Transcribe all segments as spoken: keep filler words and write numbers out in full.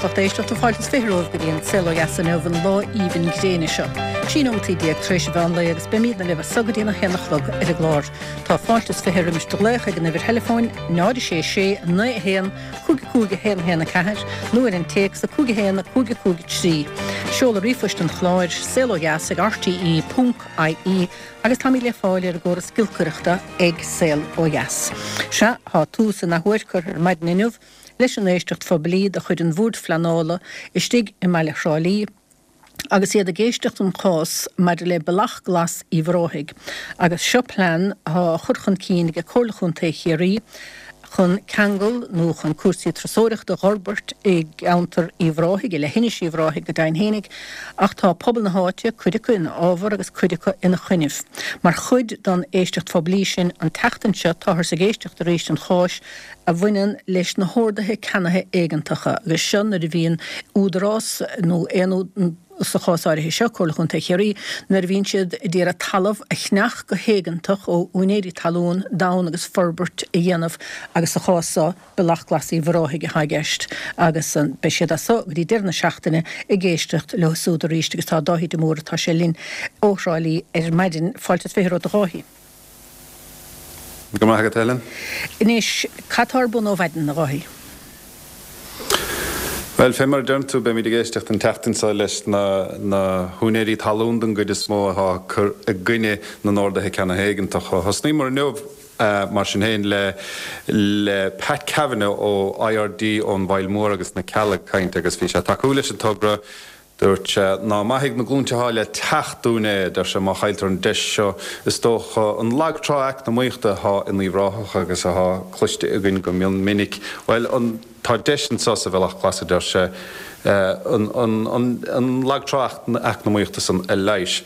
lucht éisteachta fáilte is fiche romhaibh go dtí an Saol Ó Dheas inniu an lá aoibhinn gréine seo. Trí nóiméad déag tar éis an mheán lae agus beimidne libh as so go dtí a haon a chlog ar an gclár. Tá fáilte is fiche roimis do ghlaoch ag an uimhir theileafóin náid sé sé naoi haon cúig cúig haon haon a ceathair nó ar an téacs a cúig haon cúig cúig trí. Seoladh ríomhphoist an chláir saol ó dheas ag RTE ponc IE agus táimid le fáil ar an gcóras giolcaireachta ag Saol Ó Dheas. Sea tá tús in athuair curtha ar maidin inniu leis an éisteacht phoiblí de chuid an Bhoird Phleanála istigh i mbaile Thrá Lí, agus iad ag éisteacht an chás maidir le Bealach Glas Uíbh Ráthaigh, agus seo plean atá á chur chun cinn ag Comhairle Chontae Chiarraí chun ceangal nó chun cúrsaí turasóireachta a fhorbairt i gceantar Uíbh Ráthaigh, i leithinis Uíbh Ráthaigh go deimhin fhéinig, ach tá pobal na háite, cuid acu ina fhábhar agus cuid acu ina choinnibh. Mar chuid den éisteacht phoiblí sin an tseachtain seo táthar ag éisteacht arís an cháis a bhaineann leis na horduithe ceannaithe éigeantacha agus seo nuair a bhíonn údarás nó aon sa chás áirithe seo Comhairle Chontae Chiarraí nuair a bhíonn siad ag iarraidh talamh a cheannach go héigeantach ó úinéirí talún d'fhonn agus forbairt a dhéanamh agus sa chás seo Bealach Glas Uíbh Ráthaigh atá i gceist agus beidh siad as so go dtí deireadh na seachtaine ag éisteacht leo súd arís agus tá Dáithí de Mór atá sé linn ó Thrá Lí ar maidin fáilte is fiche romhat a Dháithí. Go maith agat Helen. Anois cad tá ar bun ó mhaidin a Dháithí. Well fé mar a deireann tú beimid ag éisteacht an tseachtain seo leis na na húinéirí talún den gcuid is mó atá cur i gcoinne na n-orduithe ceannaithe éigeantacha. Thosnaíomar inniu mar sin féin le le Pat Kavanagh ó IRD ón bhFaill Mór agus na Cealla ag caint agus bhí sé tacú leis an togra Dúirt sé ná mairfidh na glúinte atá le teacht dúinn é, deir sé má chailltear an deis seo is dócha an lag trá eacnamaíochta atá in Uíbh Ráthach agus atá cloiste againn go mion minic. Well an tá deis anseo sa Bhealach Glas a deir sé an an an an lag trá eacnamaíochta san a leigheas.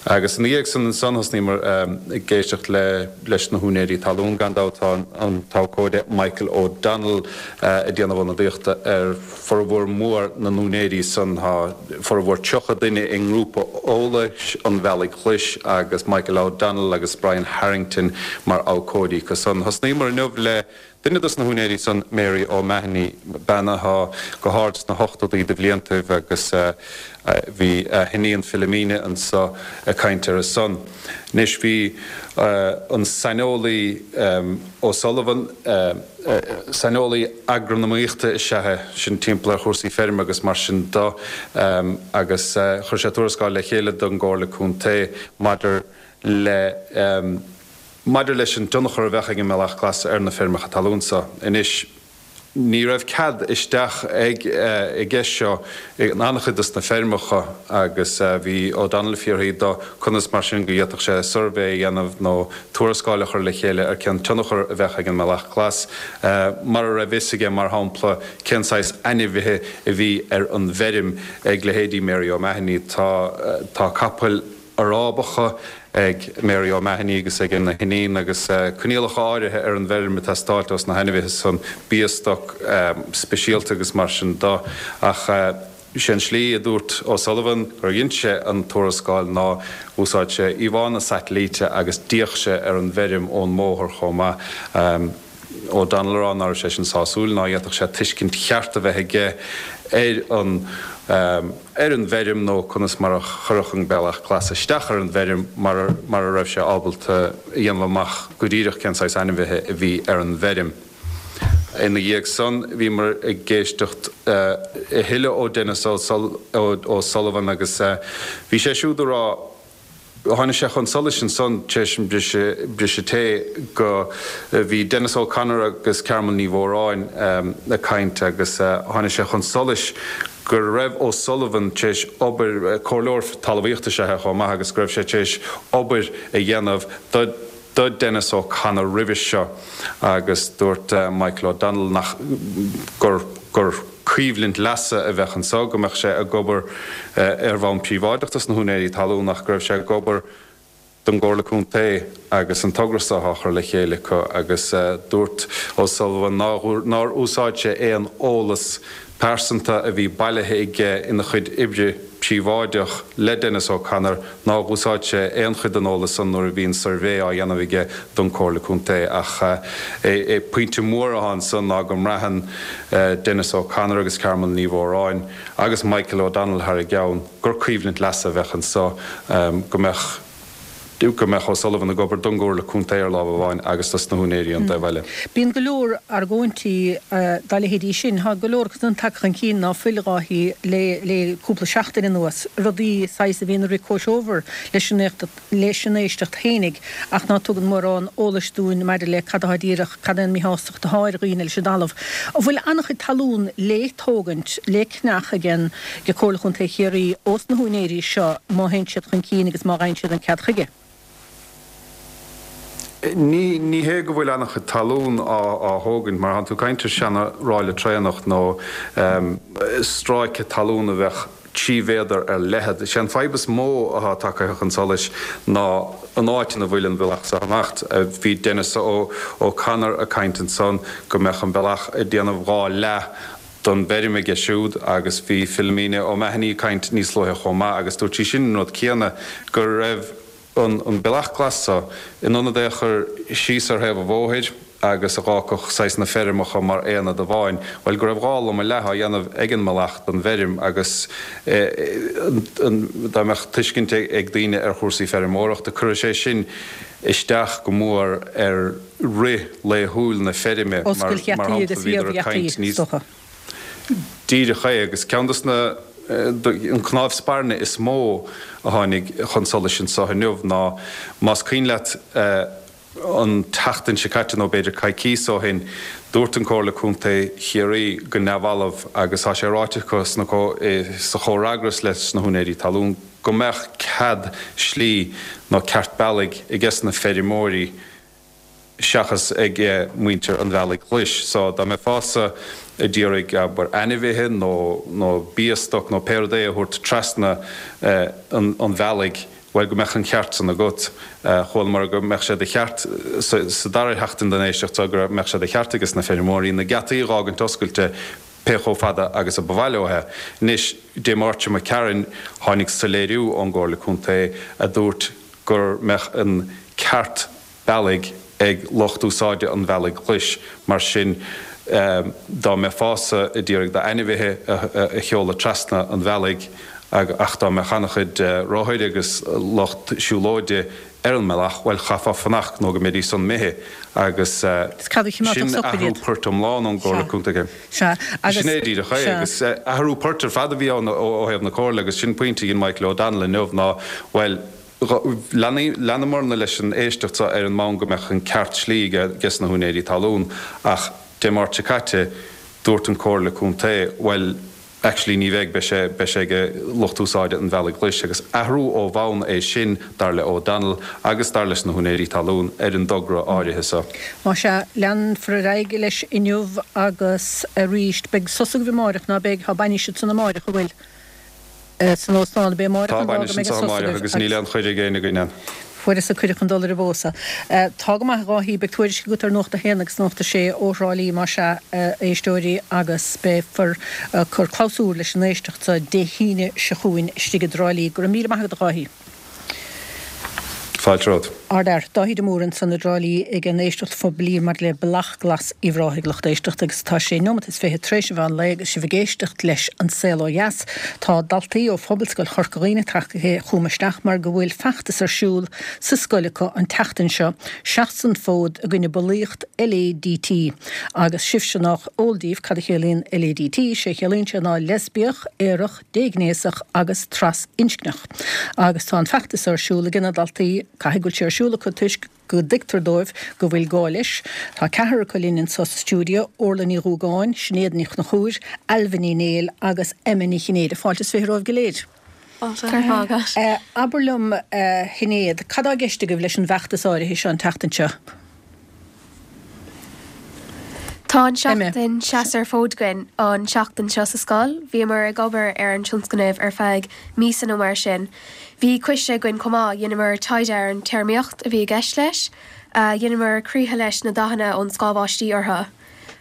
Agus ina dhiaidh san ansan thosnaíomar ag éisteacht le leis na húinéirí talún gan dabht tá an t-abhcóide Michael O'Donnell ag déanamh ionadaíochta ar formhór mór na n-úinéirí san tá formhór tríocha duine i ngrúpa eolais an Bhealaigh Ghlais agus Michael O'Donnell agus Brian Harrington mar abhcóidí acu san. Thosnaíomar inniu le duine dos na húinéirí san Mary O'Mahony bean atá go hard sna hochtóidí de bhliantaibh agus bhí a hiníon Philomena anseo ag caint ar a son. Anois bhí an saineolaí O'Sullivan saineolaí agranamaíochta is ea é sin timpeall ar chúrsaí feirme agus mar sin de agus chuir sé tuarascáil le chéile don gComhairle Contae maidir le maidir leis an tionchar a bheadh ag an mBealach Glas ar na feirmeacha talún seo. Anois ní raibh cead isteach ag i gceist seo in an-chuid dos na feirmeacha agus bhí O'Donnell ag fiafraí de conas mar sin go bhféadfadh sé suirbhé a dhéanamh nó tuarascáil a chur le chéile ar cén tionchar a bheadh ag an mBealach Glas mara raibh fhios aige mar shampla cén saghas ainmhithe a bhí ar an bhfeirm ag leithéidí Mary O'Mahony tá tá capaill Arábacha ag Mary O'Mahony agus ag a hiníon agus coinníollacha áirithe ar an bhfeirm ag teastáilt ós na hainmhithe san beostoc speisialta agus mar sin de ach sé an slí a dúirt O'Sullivan gur dhein sé an tuarascáil ná úsáid sé íomhánna satailíte agus d'fhéach sé ar an bhfeirm ón mbóthar chomh maith. O'Donnell a rá ná raibh sé sin sásúil ná fhéadfadh sé tuiscint cheart a bheith aige ar an ar an bhfeirm nó conas mar a chuirfeadh an Bealach Glas isteach ar an bhfeirm mar mar a raibh sé ábalta a dhéanamh amach go díreach cén saghas ainmhithe a bhí ar an bhfeirm. Ina dhiaidh san bhíomar ag éisteacht a thuilleadh ó Denis O'Sullivan agus bhí sé siúd a rá Tháinig sé chun solais ansan tar éis an briseadh tae go bhí Denis O'Connor agus Carmel Ní Mhóráin ag caint agus tháinig sé chun solais go raibh O'Sullivan tar éis obair, comhairleoir talmhaíochta is ea é chomh maith, agus go raibh sé tar éis obair a dhéanamh do do Denis O'Connor roimhe seo agus dúirt Michael O'Donnell nach gur gur coimhlint leasa a bheadh anseo, go mbeadh sé ag obair ar bhonn príobháideach dos na húinéirí talún ach go raibh sé ag obair don gComhairle Contae agus an togra seo á chur le chéile acu agus dúirt O'Sullivan nár úsáid sé aon eolas pearsanta a bhí bailithe aige ina chuid oibre príobháideach le Denis O'Connor nár úsáid sé aon chuid den eolas san nuair a bhí an suirbhé á dhéanamh aige don Chomhairle Contae ach é pointe mór atá ansan ná go mbraitheann Denis O'Connor agus Carmel Ní Mhóráin agus Michael O'Donnell thar a gceann gur coimhlint leasa a bheadh anso go mbeadh go mbeadh O'Sullivan ag obair don gComhairle Contae ar lámh amháin agus dos na húinéirí an taobh eile. Bíonn go leor argóintí dá leithéidí sin. Tá go leor acu san tagtha chun cinn ná fuil, a Dháithí, le le cúpla seachtain anuas, rudaí saghas a bhíonn ag rith comhthreomhar leis an leis an éisteacht fhéinig ach ná tugann mórán eolais dúinn maidir le cad atá díreach, cad é an míshástacht atá ar dhaoine leis an dtalamh. An bhfuil an-chuid talún le tógaint, le ceannach ag an ag Comhairle Chontae Chiarraí ós na húinéirí seo má théann siad chun cinn agus má fhaigheann siad an cead chuige? Ní ní hé go bhfuil an-chuid talún á á thógaint, mar thánn tú ag caint ar seana-ráille traenach nó stráice talún a bheadh trí mhéadar ar leithead. Is é an fadhb is mó atá tagtha chun solais ná an áit ina bhfuil an bealach seo anocht. Bhí Denis O'Connor ag caint ansan go mbeadh an bealach ag déanamh dhá leath don bhfeirm aige siúd agus bhí Philomena O'Mahony ag caint níos luaithe chomh maith agus dúirt sí sin an rud céanna, go raibh an bealach glas seo, in ionad é a chur síos ar thaobh an bhóthair agus a dh'fhágfadh saghas na feirmeacha mar aonad amháin, bhuel, go raibh dhá loma leath á dhéanamh ag an mbealach don bhfeirm agus dá mbeadh tuiscint ag daoine ar chúrsaí feirmeoireachta, cuirfidh sé sin isteach go mór ar rith laethúil na feirme, mar Oscailt gheataí shampla, agus bhíodar iamh ag caint gheataí, níos. is dócha. Díreach é, agus ceann dos na, an cnámh spairne is mó a tháinig chun solais anseo inniu ná, más cuimhin leat, an tseachtain seo caite nó b'fhéidir coicíos ó shin, dúirt an Comhairle Contae Chiarraí go neamhbhalbh, agus tá sé ráite acu sna, sa chomhfhreagras leis na húinéirí talún, go mbeadh cead slí nó ceart bealaigh ages na feirmeoirí, seachas ag muintir an Bhealaigh Ghlais. So, dá mbeifeása ag iarraidh, abair, ainmhithe nó nó beostoc nó pé rud é a thabhairt trasna an bhealaigh, bhuel, go mbeadh an ceart san agat. Chualamar go mbeadh sé de cheart, sa dara sheachtain den éisteacht seo, go mbeadh sé de cheart ages na feirmeoirí na geataí a dh'fhágaint oscailte pé chomh fada agus a ba mhaith leo é. Anois, Dé Máirt seo imigh tharainn, tháinig soiléiriú ón gComhairle Contae a dúirt gur mbeadh an ceart bealaigh ag lucht úsáide an Bhealaigh Ghlais, mar sin dá mbeifeása ag iarraidh d'ainmhithe a sheoladh trasna an bhealaigh ach dá mbeadh an-chuid rothair agus lucht siúlóide ar an mbealach, bhuel, chaithfeá fanacht nó go mbeidís san imithe agus sin athrú poirt iomlán ón gComhairle Contae. Sin é díreach é agus athrú poirt ar fad a bhí ann ó thaobh na Comhairle agus sin pointe a dhein Michael O'Donnell inniu ná, bhuel, Leanamarna leis an éisteacht seo ar an mbonn go mbeadh an ceart slí ages na húinéirí talún ach Dé Máirt seo caite dúirt an Comhairle Contae bhuel actually ní bheidh, beidh sé, beidh sé ag lucht úsáide an Bhealaigh Ghlais agus athrú ó bhonn é sin dar le O'Donnell agus dar leis na húinéirí talún ar an dtogra áirithe seo. Más ea, leanfar ar aghaidh leis inniu agus arís. Beidh sos agaibh amáireach, ná beidh? Tá bainis ansan amáireach, an bhfuil? san óstán, ab é amáireach Tá an lá go bainis mbeidh an anseo sos amáireach agaibh agus agus níl aon chuireadh ag éinne againn ann. Fuaireas-sa cuireadh chun dul ar an bpósadh. Tá go maith, a Dháithí, beidh tuairisc agat ar Nuacht a hAon agus Nuacht a Sé ó Thrá Lí, más ea, a éisteoirí, agus beifear ag cur clabhsúr leis an éisteacht seo Dé hAoine seo chugainn istigh i dTrá Lí. Go raibh míle maith agat, a Dháithí. Fáilte romhat. Ardfhear, Dáithí de Mórdha ansan i dTrá Lí ag an éisteacht phoiblí maidir le Bealach Glas Uíbh Ráthaigh, lucht éisteachta, agus tá sé neomat is fiche tar éis an mheán lae agus sibh ag éisteacht leis An Saol Ó Dheas. Tá daltaí ó Phobalscoil Chorca Dhuibhne tagtha chugam isteach mar go bhfuil feachtas ar siúl sa scoil acu an tseachtain seo, Seas an Fód i gcoinne Bulaíocht LADT. Agus sibhse nách eol daoibh cad a chiallaíonn LADT, sé a chiallaíonn sé ná Leispiach, Aerach, Déghnéasach agus Trasinscneach. Agus tá an feachtas ar siúl ag na daltaí, caithfidh go bhfuil sé ar siúl acu toisc go dtuigtear dóibh go bhfuil gá leis. Tá ceathrar acu linn anso sa stiúideo, Orla Ní Dhúgáin, Sinéad Ní Chonchúir, Ailbhe Ní Néill agus Emma Ní Chinnéide. Fáilte is fiche romhaibh go léir. Fáilte. Go raibh maith agat. Abair liom, a Shinéad, cad tá i gceist agaibh leis an bhfeachtas áirithe seo an tseachtain seo? Tá an Emma. seachtain Seas ar Fód againn an tseachtain seo sa scoil. Bhíomar ag obair ar an tionscnamh ar feadh míosa nó mar sin. Bhí coiste againn chomh maith, dheineamar taighde ar an téarmaíocht a bhí i gceist leis, dheineamar croíthe leis na dathanna ón scáth bháistí orthu,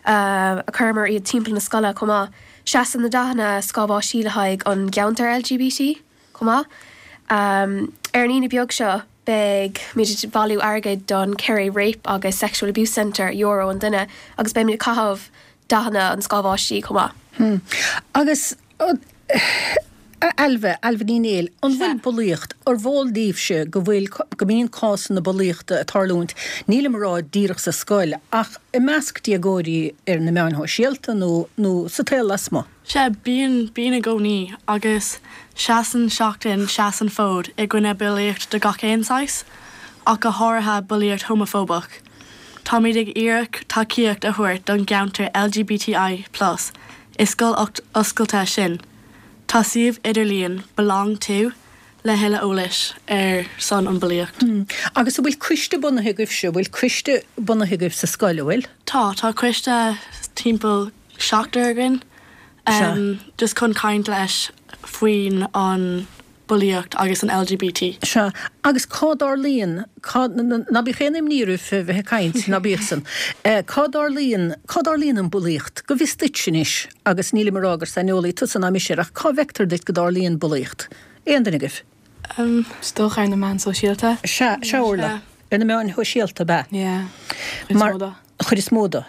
chuireamar iad timpeall na scoile chomh maith. Seasann na dathanna scáth báistí le haghaidh an gceantar L G B T chomh maith. Um, ar an Aoine beag seo beidh muid ag bailiú airgid don Kerry Rape agus Sexual Abuse Centre euro an duine agus beidh muid ag caitheamh dathanna an scáth báistí chomh maith. Hmm. Agus Ailbhe, Ailbhe Ní Néill, an bhfuil bulaíocht ar bhol daoibhse go bhfuil go mbíonn cásanna bulaíochta ag tarlúint, nílim ag rá díreach sa scoil ach i measc déagóirí ar na meáin shóisialta nó nó sa tsaol lasmuigh? Sea, bíonn bíonn i gcónaí agus seasann seachtain Seas an Fód i gcoinne bulaíocht de gach aon saghas, ach go háirithe bulaíocht homafóbach. Táimid ag iarraidh tacaíocht a thabhairt don gceantar L G B T I plus i scoil oscailte sin. Tá suíomh idirlíon Belong To le thuilleadh eolais ar son an bulaíocht. Hmm. Agus an bhfuil coiste bunaithe agaibhse, bhfuil coiste bunaithe agaibh sa scoil bhfuil? Tá tá coiste timpeall seachtar againn um, just chun caint leis faoin an bulaíocht agus an L G B T. Sea, agus cá dtarlaíonn ná bíodh aon imní oraibh bheith ag caint ná bíodh san. Cá dtarlaíonn cá dtarlaíonn an bulaíocht, go bhfios duit anois agus nílim ag rá gur saineolaí tusa ná mise ach cá bhfeictear duit go dtarlaíonn bulaíocht. Aon duine agaibh? Um, Is dócha ar na meáin sóisialta. Sea, sea Orla. Ar na meáin shóisialta ba. Yeah. Mar chuid is mó de.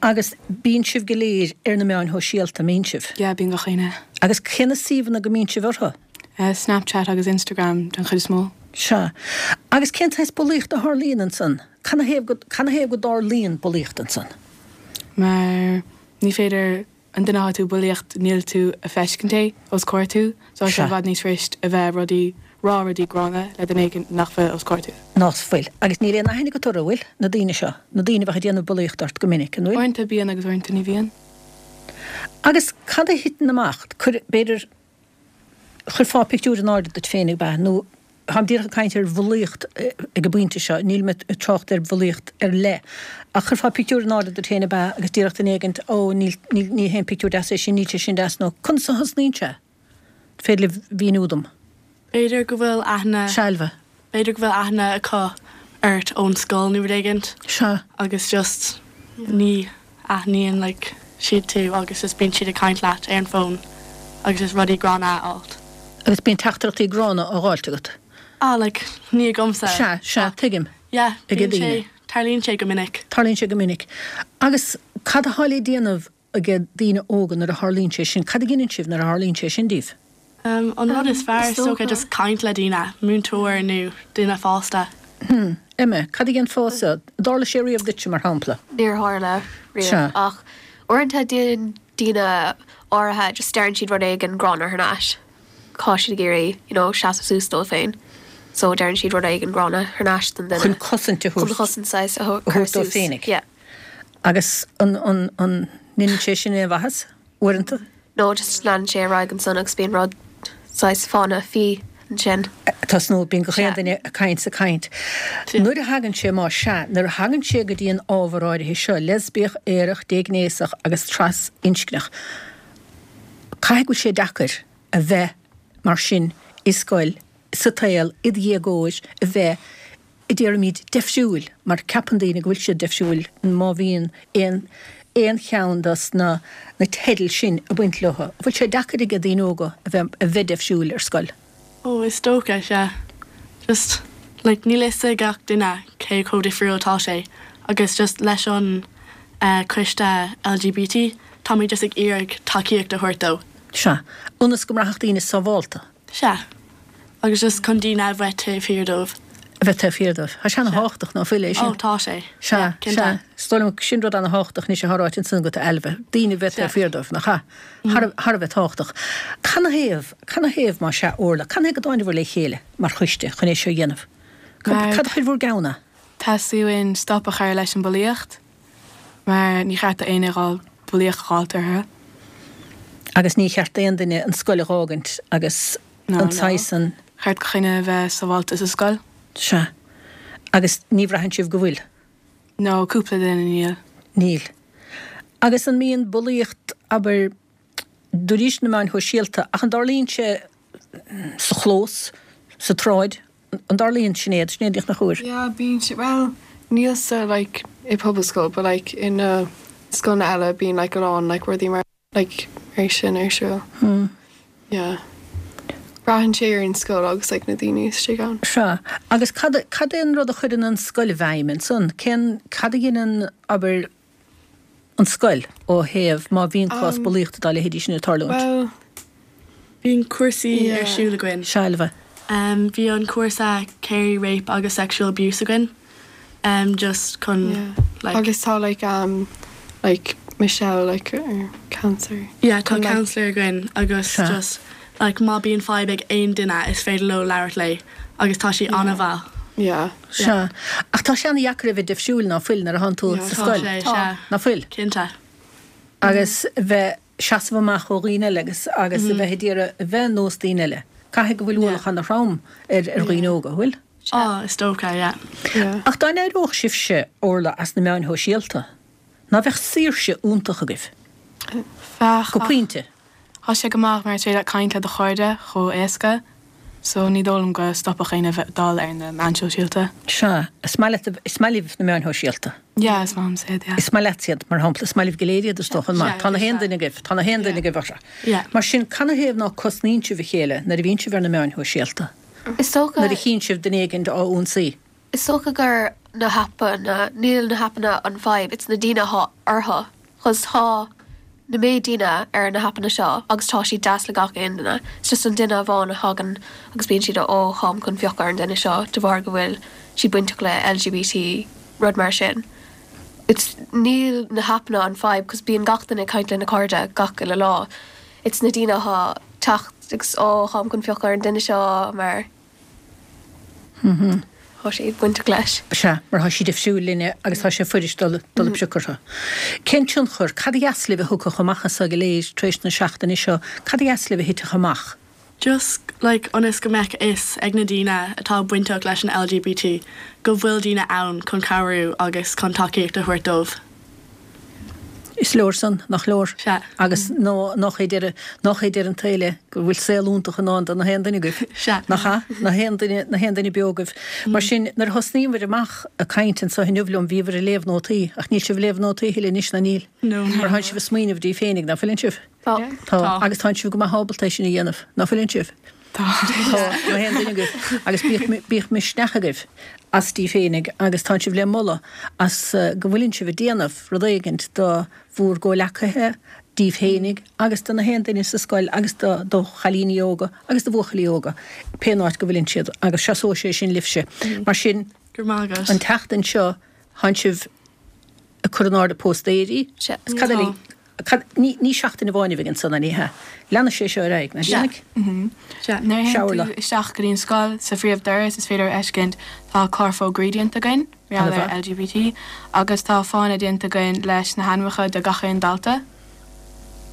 Agus bíonn sibh go léir ar na meáin shóisialta mbíonn sibh. Yeah, bíonn gach éinne. Agus cé na suíomhanna go mbíonn sibh orthu? Uh, Snapchat agus Instagram den chuid is mó. Sea. Agus cén saghas bulaíocht a tharlaíonn ansan? Canathaobh go canathaobh go dtarlaíonn bulaíocht ansan? Mar ní féidir an duine atá tú bulaíocht níl tú ag feiscint é os comhair tú, so sé bhfad níos fusa a bheith rudaí rá rudaí gránna le duine éigin nach bhfuil os comhair tú. Nach bhfuil. Agus níl aon aithne agat orthu bhfuil na daoine seo, na daoine bheith ag déanamh bulaíocht ort go minic an bhfuil? Uaireanta bíonn agus uaireanta ní bhíonn. Agus cad a thiteann amach chuir b'fhéidir chuirfeá pictiúr in airde duit féin ag bheith nó táim díreach ag caint ar bhulaíocht ag an bpointe seo, níl mé ag trácht ar bhulaíocht ar leith. Ach chuirfeá pictiúr in airde duit féin ab ea agus díreach duine éigin ó níl ní haon pictiúr deas é sin níl sé sin deas nó conas a thosnaíonn sé? Féidir libh míniú dom. B'fhéidir go bhfuil aithne Sealbha. B'fhéidir go bhfuil aithne acu ort ón scoil nó rud éigin. Sea. Agus just ní aithníonn like, siad tú agus just bíonn siad ag caint leat ar an bhfón agus is rudaí gránna alt. Agus bíonn teachtaireachtaí gránna á fháilt agat. Ah like ní agamsa. Sea, sea, tuigim. Yeah, Ag bíonn daoine. sé tarlaíonn sé go minic. Tarlaíonn sé go minic. Agus cad atá le déanamh ag daoine óga nuair a tharlaíonn sé sin, cad a dhéanann sibh nuair a tharlaíonn sé sin díobh? Um, an rud is fearr Is is dócha dócha. just caint le daoine, múinteoir nó duine fásta. Hmm. Emma, cad a dhéanfása, tharla sé riamh duit mar shampla. Níor tharla Sea. riamh ach uaireanta déanann daoine áirithe just deireann siad rud éigin gránna thar n-ais. Tá siad ag iarraidh, you know, seasamh suas dóibh féin. So deireann siad rud éigin gránna thar n-ais don duine. Chun cosaint a Chun thabhairt chosaint saghas a a thabhairt dóibh suas. féinig. Yeah. Agus an an an ndéanann sé sin aon mhaitheas uaireanta? No, just leanann sé ar aghaidh ansan agus bíonn rud saghas fána faoi ansin. Tá nó bíonn gach aon Sea. duine ag caint sa caint. Nuair a thagann sé má sea, nuair a thagann sé go dtí an ábhar áirithe seo, leisbiach, aerach, déghnéasach agus trasinscneach. Caithfidh go bhfuil sé deacair a bheith mar sin i scoil sa tsaol i do dhéagóir a bheith i déarfaimid difriúil mar ceapann daoine go bhfuil siad difriúil má bhíonn aon aon cheann dos na na teidil sin ag baint leo. Bhfuil sé deacair ag daoine óga a bheith a bheith difriúil ar scoil. Ó is dócha sea. Just like níl fhios ag gach duine cé chomh difriúil atá sé agus just leis an uh, coiste L G B T táimid just ag iarraidh tacaíocht a thabhairt dó. Sea, ionas go mbraithfeadh daoine sábháilte. Sea. Agus just chun daoine a bheith taobh thiar dóibh. A bheith taobh thiar dóibh. Tá sé an-tábhachtach ná fuil é sin. Ó tá sé. Sea, Yeah, cinnte. sea, is dóigh liom sin rud an-tábhachtach ní sé háráit an san go Ailbhe. Daoine bheith Sea. taobh thiar dóibh nach ea. Thar a bheith tábhachtach. Canathaobh, canathaobh má sea Orla, canathaobh go dtáinig bhur le chéile mar choiste chun é seo a dhéanamh. Cad Mar- cad a chuir bhur gceann? Theastaigh uainn stop a chur leis an bulaíocht, mar ní cheart d'aon duine bulaíocht a fháilt orthu. Agus ní cheart aon duine an scoil a fhágaint agus No, an no. saghas an Cheart gach éinne a bheith sábháilte sa scoil? Sea. Agus ní bhraitheann sibh go bhfuil. No, cúpla duine níl. Níl. Agus an mbíonn bulaíocht abair dúris na meáin shóisialta ach an dtarlaíonn sé sa chlós, sa tsráid, an dtarlaíonn Sinéad, Sinéad nach chuir. Yeah, bíonn sé well níl sa like i Pobalscoil, but like in uh, scoil eile bíonn like a lán like rudaí mar like é sin ar siúl. Yeah. Braitheann sé ar an scoil agus like na daoine istigh ann. Sea. Agus cad cad é an rud a chuireann an scoil i bhfeidhm ansan? Cén cad a dhéanann abair an scoil ó thaobh má bhíonn cás bulaíochta dá leithéidí sin ag tarlúint? Bhuel, Bíonn cúrsaí Yeah. ar siúl againn. Sea, Ailbhe. Um, bhí an cúrsa Carey Rape agus Sexual Abuse againn. Um, just chun yeah. like Agus tá like um like Michelle like ar counselor. yeah, tá chun, like- counselor againn agus Sea. just like má bíonn fadhb ag aon duine is féidir leo labhairt léi agus tá sí an-mhaith. Yeah. Sea. Ach tá sé an-deacair a bheith difriúil ná fuil nuair a thánn tú Yeah. sa Tá scoil. sé, Tá. sea. Ná fuil. Cinnte. Agus bheith seasamh amach ó dhaoine eile agus agus a bheith ag iarraidh a bheith nós daoine eile. Caithfidh go bhfuil ualach an-throm ar ar dhaoine óga, bhfuil? Oh, is dócha, yeah. Yeah. Ach dá n-éireodh sibhse Orla as na meáin shóisialta. Ná bheadh saoirse iontach agaibh. Bheadh Go pointe. Tá sé go maith mar sé le caint le do chairde chomh éasca, so ní dóigh liom go stopfadh éinne bheith dul ar na meáin shóisialta. Sea, is maith leat- is maith libh na meáin shóisialta. Yeah, is maith liom iad, yeah. Is maith leat iad mar shampla, is maith libh go léir iad is dócha maith. Sea, Tá na haon sea. duine agaibh, tá na haon duine agaibh orthu. Yeah. Mar sin canathaobh ná cosnaíonn sibh a chéile nuair a bhíonn sibh ar na meáin shóisialta. Is dócha Nuair a chíonn sibh duine éigin á ionsaí. Is dócha gur na haipeanna níl na haipeanna an fadhb, it's na daoine atá orthu. Cos tá na méid daoine ar na haipeanna seo agus tá siad deas le gach aon duine. It's just an duine amháin a thagann agus bíonn siad ó táim chun piocadh ar an duine seo de bharr go bhfuil siad bainteach le LGBT rud mar sin. It's níl na haipeanna an fadhb cos bíonn gach duine ag caint lena cairde gach uile lá. It's na daoine atá teacht agus ó táim chun piocadh ar an duine seo mar Tá siad bainteach leis. Sea, mar tá siad difriúil linne agus tá sé fuirist dul dul ag piocadh orthu. Cén tionchar, cad a dheas libh a thiocfadh amach as go léir tar éis na seachtaine seo, cad a dheas libh a thitfeadh amach? Just like ionas go mbeadh fhios ag na daoine atá bainteach leis an LGBT go bhfuil daoine ann chun cabhrú agus chun tacaíocht a thabhairt dóibh. Is leor san nach leor. Sea. Agus nó nach é deireadh nach é deireadh an tsaoil é go bhfuil saol iontach i ndán do na haon duine agaibh. Sea. Nach ea? Na haon duine na haon duine beo agaibh. Mar sin nuair a thosnaíomar amach ag caint anseo inniu liom bhíobhair ag léamh nótaí, ach níl sibh ag léamh nótaí a thuilleadh anois ná níl. No. Mar tánn sibh ag smaoineamh daoibh féinig ná fuileann sibh. Tá. Tá. Tá. Agus tánn sibh go maith ábalta é sin a dhéanamh, ná fuileann sibh. Tá. Tá na haon duine agaibh. Agus bíodh bíodh misneach agaibh as daoibh féinig agus tánn sibh le moladh as uh, go bhfuileann sibh ag déanamh rud éigint do bhur gcomhghleacaithe daoibh féinig agus do na haon duine sa scoil agus do do chailíní óga agus do bhuachaillí óga pé áit go bhfuileann siad agus seasóidh sé sin libhse. Mar sin Go raibh maith agat. an tseachtain seo tánn sibh ag cur in airde póstaeirí. Sea. Is cad eile- cad- ní ní seachtain amháin a bheidh ansan ní hea. Leanfaidh sé seo ar aghaidh, ná Sea. déanfaidh? Sea. Nuair a Sea, Orla. théann tú isteach go dtí an scoil sa phríomhdhoras is féidir a fheiscint tá clár fógraí déanta againn, mar gheall ar LGBT, agus tá fáinne déanta againn leis na hainmneacha de gach aon dalta,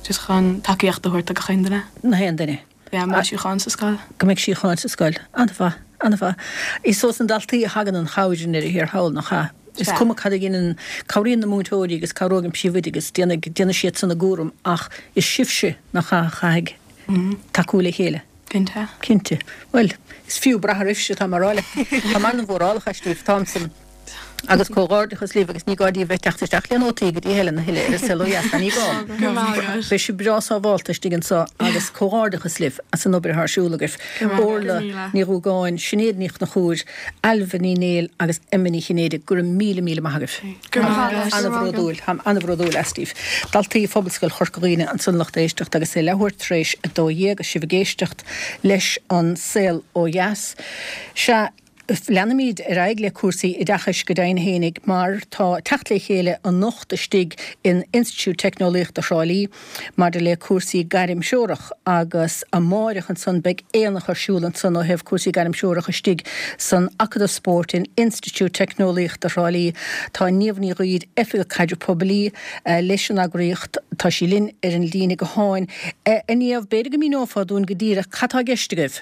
just chun tacaíocht a thabhairt do gach aon duine. Na haon duine. Yeah, mbeidh síocháin sa scoil. Go mbeidh síocháin sa scoil. An-mhaith, an-mhaith. Is ós na daltaí a thagann an chabhair i ndeireadh thiar thall nach ea. Is Sea. cuma cad a dhéanann cabhraíonn na múinteoirí agus cabhróidh an príomhoide agus déanfaidh déanfaidh siad san a gcúram ach is sibhse nach ea a chaithfidh tacú le chéile. Cinnte. Cinnte. Well, is fiú brath oraibhse tá mar áile. Tá mar an mhórálach istíobh Thompson. Agus comhghairdeachas libh agus ní gá daoibh bheith teacht isteach le nótaí go dtí Helen a thuilleadh ar an Saol Ó Dheas, ní gá. Go raibh maith agat. Beidh sibh breá sábháilte istigh anseo agus comhghairdeachas libh as an obair atá ar siúl agaibh. Orla Ní Dhúgáin, Sinéad Ní Chonchúir, Ailbhe Ní Néill agus Emma Ní Chinnéide go raibh míle míle maith agaibh. Go raibh maith agat. An-bhródúil, táim an-bhródúil astaibh. Daltaí Phobalscoil Chorca Dhuibhne ansan lucht éisteachta agus é leathuair tar éis a dó dhéag agus sibh ag éisteacht leis an Saol Ó Dheas. Sea, leanfaimid ar aghaidh le cúrsaí oideachais go deimhin fhéinig mar tá teacht le chéile anocht istigh in Institiúid Teicneolaíochta Thrá Lí maidir le cúrsaí gairmthreorach agus amárach ansan beidh aonach ar siúl ansan ó thaobh cúrsaí gairmthreorach istigh san Acadamh Spóirt in Institiúid Teicneolaíochta Thrá Lí. Tá Niamh Ní Ghaoith Oifigeach Caidrimh Poiblí leis an eagraíocht tá sí linn ar an líne gutháin. A Niamh, b'fhéidir go míneofá dúinn go díreach cad tá i gceist agaibh.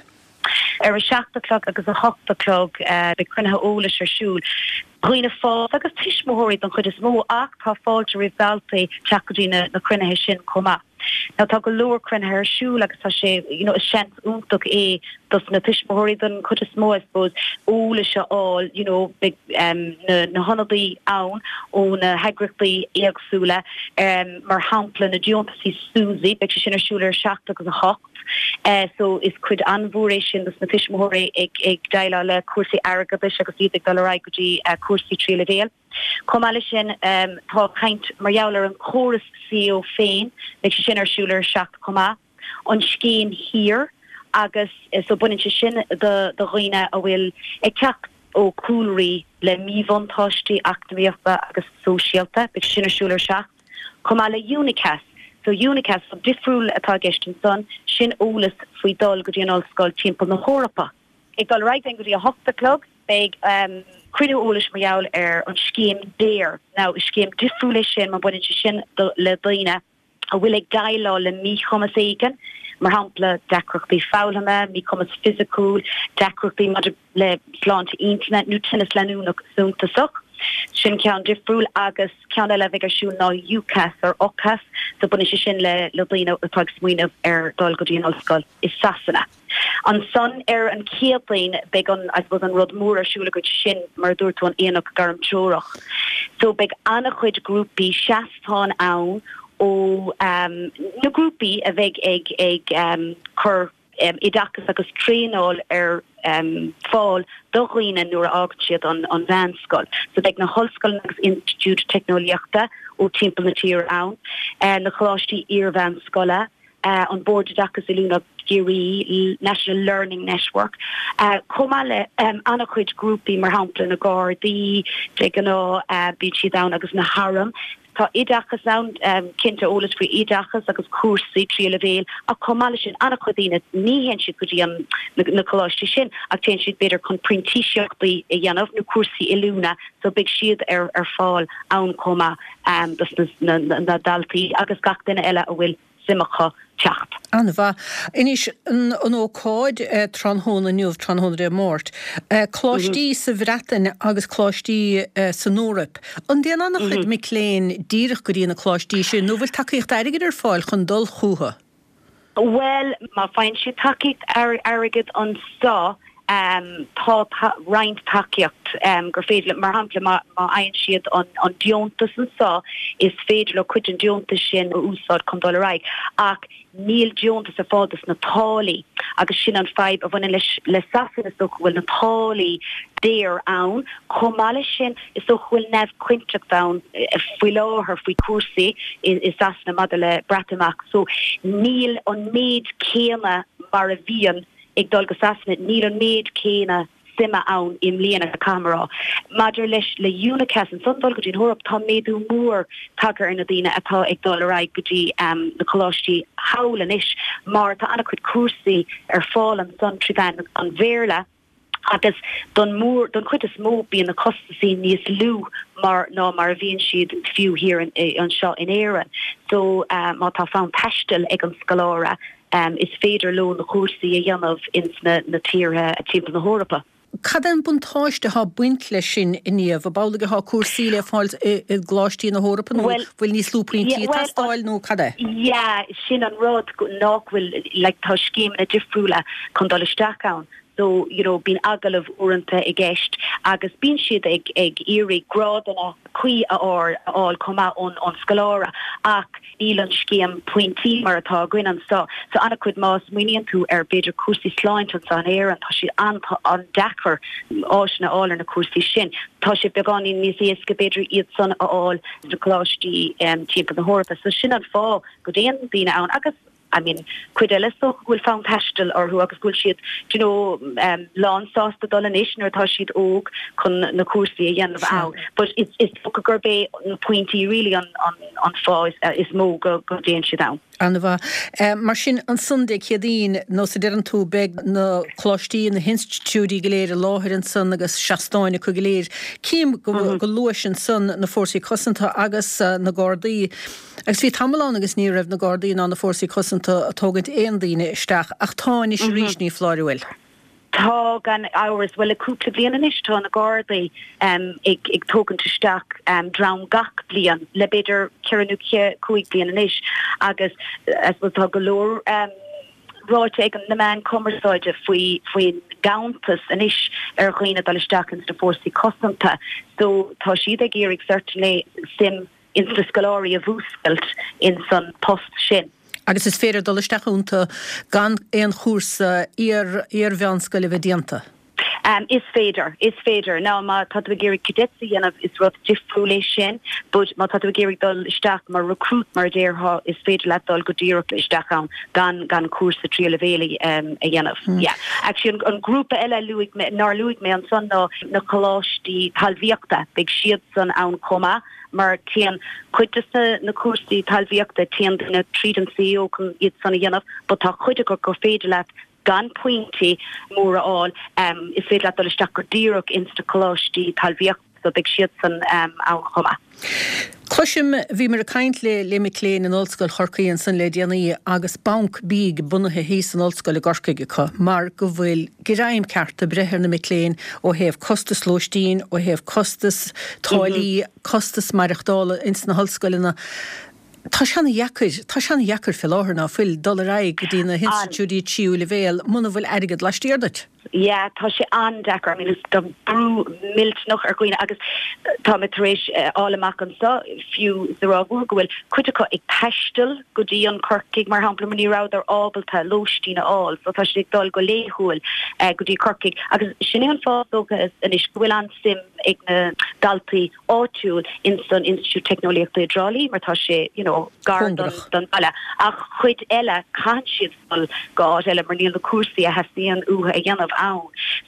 Ar a seacht a chlog agus a hocht a chlog beidh cruinnithe eolais ar siúl. Dhaoine fásta agus tuismitheoirí don chuid is mó ach tá fáilte roimh daltaí teacht go dtí na, na cruinnithe sin chomh maith. Now tá go leor cruinnithe ar siúl agus tá sé you know, is seans iontach é dos na tuismitheoirí don chuid is mó I suppose eolas a fháil you know, beidh um, na, na hionadaí ann ó na heagraíochtaí éagsúla um, mar shampla na deontaisí SUSI, beidh sé sin ar siúl ar seacht agus a hocht. Uh, so is cuid an-mhór é sin dos na tuismitheoirí ag ag déileáil le cúrsaí airgeadais agus iad ag dul ar aghaidh go dtí uh, cúrsaí tríú leibhéal. Chomh maith leis sin um, tá caint mar gheall ar an chóras C O féin, beidh sé sin ar siúl ar seacht chomh maith. An scéim HEAR agus eh, so baineann sé sin do do dhaoine a bhfuil ag teacht ó cúlraí le míbhuntáistí eacnamaíochta agus sóisialta, beidh sin ar siúl ar seacht. Chomh maith le UNICAS, so UNICAS so difriúil atá i gceist ansan sin eolas faoi dul go dtí an ollscoil timpeall na hEorpa. Ag dul ar aghaidh go dtí a hocht a chlog beidh um, cruinniú eolais mar gheall ar an scéim DARE. Now is scéim difriúil é sin mar baineann sé sin do, le daoine a bhfuil ag déileáil le míchumas éigin, mar shampla deacrachtaí foghlama, míchumas fisiciúil, deacrachtaí maidir le sláinte intinne nó tinneas leanúnach suntasach. Sin ceann difriúil agus ceann eile bheidh ar siúl ná UCAS or UCAS, so baineann sé sin le le daoine atá ag smaoineamh ar dul go dtí an ollscoil i Sasana. Ansan ar an Chéadaoin beidh an I suppose an rud mór ar siúl agat sin mar dúirt tú an aonach gairmtreorach. So beidh an-chuid grúpaí seastán ann ó um, na grúpaí a bheidh ag ag um, cur um, oideachas agus traenáil ar um, fáil do dhaoine nuair a fhágann siad an, an mheánscoil. So beidh na hollscoileanna agus institiúid teicneolaíochta ó timpeall na tíre ann, uh, na coláistí iar-mheánscoile, uh, an Bord Oideachais Oiliúna Ciarraí, National Learning Network, uh, chomh maith le um, an-chuid grúpaí mar shampla na Gardaí de ghnáth uh, bíonn siad ann agus na hairm. Tá oideachas ann um, cinnte eolas faoi oideachas agus cúrsaí tríú leibhéal ach chomh maith leis sin an-chuid daoine ní théann siad go dtí an na, na coláistí sin ach téann siad b'fhéidir chun printíseachtaí a dhéanamh nó cúrsaí oiliúna so beidh siad ar ar fáil ann chomh maith um, dos na, na, na, na daltaí agus gach duine eile a bhfuil suim acu teacht. An-mhaith. Anois an, an ócáid eh, tráthnóna inniu tráthnóna Dé Máirt. Eh, coláistí mm -hmm. sa Bhreatain agus coláistí eh, san Eoraip. An dtéann an-chuid mm -hmm. mic léinn díreach go dtí na coláistí sin, nó bhfuil tacaíocht airgid ar fáil chun dul chucu? Well, má fhaigheann siad tacaíocht airgid anseo um, tá ta roinnt tacaíocht um, gur féidir mar shampla má fhaigheann siad an, an deontas anseo is féidir leo cuid den deontas sin a úsáid chun dul ar aghaidh ach níl deontas ar fáil dos na táillí agus sin an fadhb a bhaineann leis le Sasana is dócha go bhfuil na táillí daor ann chomh maith leis sin is dócha go bhfuil neamhchinnteacht ann eh, faoi láthair faoi cúrsaí i, i Sasana maidir le Breatimeacht so níl an méid céanna mar a bhíonn ag dul go Sasana níl an méid céanna suime ann i mbliana camrá. Maidir leis le UNICAS ansan dul go dtí an Eoraip tá méadú mór tagtha ar na daoine atá ag dul ar aghaidh go dtí um, na coláistí thall anois mar tá an-chuid cúrsaí ar fáil ansan trí mheán an Bhéarla agus don mór don chuid is mó bíonn na costasaí níos lú mar ná mar a bhíonn siad fiú thiar anseo in Éirinn. So uh, má tá fonn taistil ag an scoláire um, is féidir leo na cúrsaí a dhéanamh ins na, na tíortha timpeall na hEorpa. Cad é an buntáiste atá ag baint leis sin inniu, ab amhlaidh atá cúrsaí le fáil i gcoláistí na hEorpa nó bhfuil níos lú pointí ag teastáil nó cad é? Yeah, sin an rud nach bhfuil like, tá scéimeanna difriúla chun dul isteach ann. So you know, bíonn agallamh uaireanta i gceist agus bíonn siad ag ag iarraidh grádanna cuí a fháil chomh maith ón ón scoláire ach níl an scéim pointí mar atá againn anseo. So an-chuid má smaoiníonn tú ar b'fhéidir cúrsaí sláinte anseo in Éirinn tá sé an an-deacair áiseanna a fháil ar na cúrsaí sin. Tá sé beagáinín níos éasca b'fhéidir iad san a fháil na coláistí um, timpeall na hEorpa. So sin an fáth go dtéann daoine ann agus I mean cuid eile so bhfuil fonn taistil orthu agus bhfuil siad you know um, lánsásta dul anois nuair atá siad óg chun na cúrsaí a dhéanamh ann but is is gurb é na pointí really an an an fáth is, uh, is mó go go dtéann siad ann. An-mhaith. Uh, mar sin ansan Dé Céadaoin nó sa deireann tú beidh na coláistí na hinstitiúidí go léir i láthair ansan agus seastáin acu go léir. Cím go, mm -hmm. go luais ansan na fórsaí cosanta agus uh, na Gardaí. Agus bhí tamall ann agus ní raibh na Gardaí ná na fórsaí cosanta ag tógaint aon daoine isteach ach tá anois mm -hmm. arís ní fláirhfuil. Tá gan amhras bhuel le cúpla bliain anois tá na Gardaí um, ag, ag tógaint isteach um, dream gach bliain le b'fhéidir ceithre nó cúig bliain anois agus I suppose tá go leor um, ráite ag na meáin cumarsáide faoi faoin ganntanas anois ar dhaoine dul isteach ins na fórsaí cosanta so tá siad ag iarraidh certainly suim ins na scoláirí a mhúscailt in san post sin. Agus is féidir dul isteach iontu gan aon chúrsa iar iar-mheánscoile a bheith déanta. Um, is féidir, is féidir. Now má tá tú ag iarraidh cadets a dhéanamh is rud difriúil é sin, but má tá tú ag iarraidh dul isteach mar recruit mar a déarfá is féidir leat dul go díreach isteach ann gan gan cúrsa tríú leibhéal um, a dhéanamh. Mm. Yeah. Actually an, an grúpa eile luaigh mé nár luaigh mé ansan ná na coláistí talmhaíochta, beidh siad san ann chomh maith mar téann cuid de na, na cúrsaí talmhaíochta téann duine tríd an CAO chun iad san a dhéanamh, but tá cuid acu gur féidir leat gan pointí móra a fháil um, is féidir leat dul isteach go díreach ins na coláistí talmhaíochta so beidh siad san um, ann chomh maith. Cloisim bhíomar ag caint le le mic léinn in Ollscoil Chorcaí ansan le déanaí agus banc bídh bunaithe thíos san ollscoil i gCorcaigh acu mar go bhfuil greim ceart ag breith ar na mic léinn ó thaobh costas lóistín, ó thaobh costas táillí, costas maireachtála ins na hollscoileanna. Tá sé an-dheacair, tá sé an-dheacair fé láthair ná fuil dul ar aghaidh go dtí na hinstitiúidí tríú leibhéal muna bhfuil airgead laistiar duit. Yeah, tá sé an-deacair. I mean, is tá brú millteanach ar dhaoine agus tá mé tar éis eh, fháil amach anseo fiú sa Ráth Mhór go bhfuil cuid acu ag taisteal go dtí an Corcaigh mar shampla mar ní rabhadar ábalta lóistín a fháil, so tá siad ag dul go laethúil eh, go dtí Corcaigh agus sin é an fáth dócha anois go bhfuil an-suim ag na daltaí áitiúil in san Institiúid Teicneolaíochta i dTrá Lí mar tá sé you know, gar don, Cóngarach. don baile. Ach chuid eile caitheann siad dul go áit eile mar níl na cúrsaí a theastaíonn uathu a dhéanamh ann.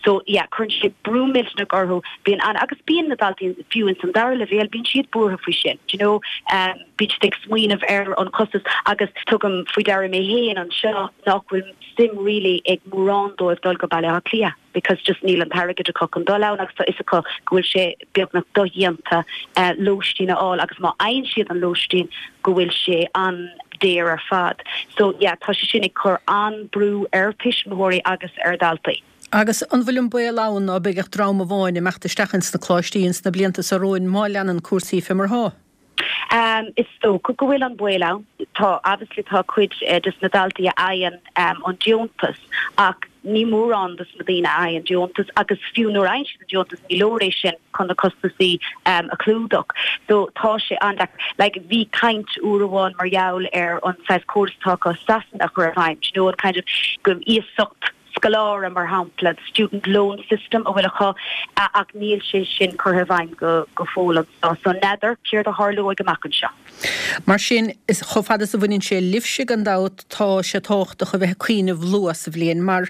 So yeah, cuireann sé brú millteanach orthu bíonn an agus bíonn na daltaí fiú in san dara leibhéal bíonn siad buartha faoi sin. Do you know, um, bíonn siad ag smaoineamh ar an costas agus tugaim faoi deara mé féin anseo nach bhfuil suim really ag mórán dóibh dul go Baile Átha Cliath because just níl an t-airgead acu chun dul ann agus tá fhios acu go bhfuil sé beagnach dodhéanta uh, lóistín a fháil agus má fhaigheann siad an lóistín go bhfuil sé an-daor ar fad. So yeah, tá sé sin ag cur an-brú ar tuismitheoirí agus ar daltaí. Agus an bhfuil an baol ann ná beidh ach dream amháin ag imeacht isteach ins na coláistí ins na blianta seo romhainn má leanann cúrsaí fé mar atá. Um, is dócha go bhfuil an baol ann tá obviously tá cuid uh, des na daltaí a fhaigheann um, an deontas ach ní mórán des na daoine a fhaigheann deontas agus fiú nuair a fhaigheann siad an deontas ní leor é sin chun na costasaí um, a chlúdach. So tá sé an like bhí caint uair amháin mar gheall ar an saghas córas atá i Sasana a chur i bhfeidhm, you know, an kind of go iasacht scoláire mar shampla the student loan system a bhfuil acu ach níl sé sin curtha i bhfeidhm go go fóill so so n'fheadar céard a tharlóidh amach anseo. Mar sin is chomh fada is a bhaineann sé libhse gan dabht tá sé tábhachtach a bheith ag cuimhneamh luath sa bhliain mar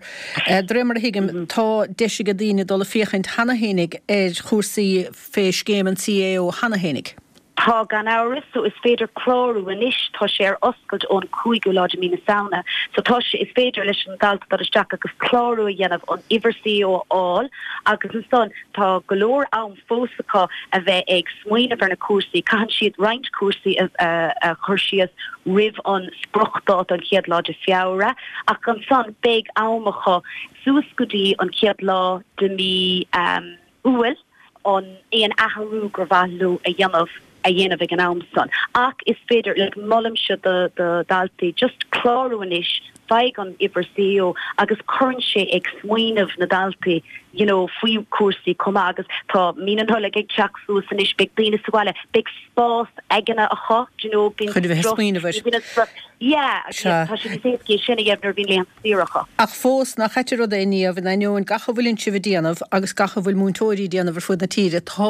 eh, de réir mar a thuigim tá deis ag daoine dul ag féachaint cheana fhéinig ar chúrsaí fé scéim an CAO cheana fhéinig. Tá gan amhras so is féidir clárú anois tá sé ar oscailt ón cúigiú lá de mí na Samhna. So tá sé is féidir leis an dalta dul isteach agus clárú a dhéanamh an uimhir CAO a fháil agus ansan tá go leor am fós acu a bheith ag smaoineamh ar na cúrsaí, Caitheann siad roinnt cúrsaí a, a, a chur síos roimh an spriocdháta an chéad lá de Feabhra ach ansan beidh am acu suas go dtí an chéad lá de mí um, Iúil an aon athrú gur mhaith leo a dhéanamh a dhéanamh ag an am san. Ach is féidir le molaimse do do daltaí just clárú anois faigh an uimhir CAO agus cuireann sé ag smaoineamh na daltaí you know, faoi cúrsaí chomh maith agus tá mí na Nollag ag teacht suas anois beidh daoine sa bhaile beidh spás aigne acu you know, bíonn Chun a bheith strus- smaoineamh air. bíonn strus- Yeah, Sea. tá sé níos éasca sin a dhéanamh nuair a bhíonn laethanta saoire acu. Ach fós nach ait an rud é Niamh in ainneoin gach a bhfuil sibh ag déanamh agus gach a bhfuil múinteoirí ag déanamh ar fud na tíre tá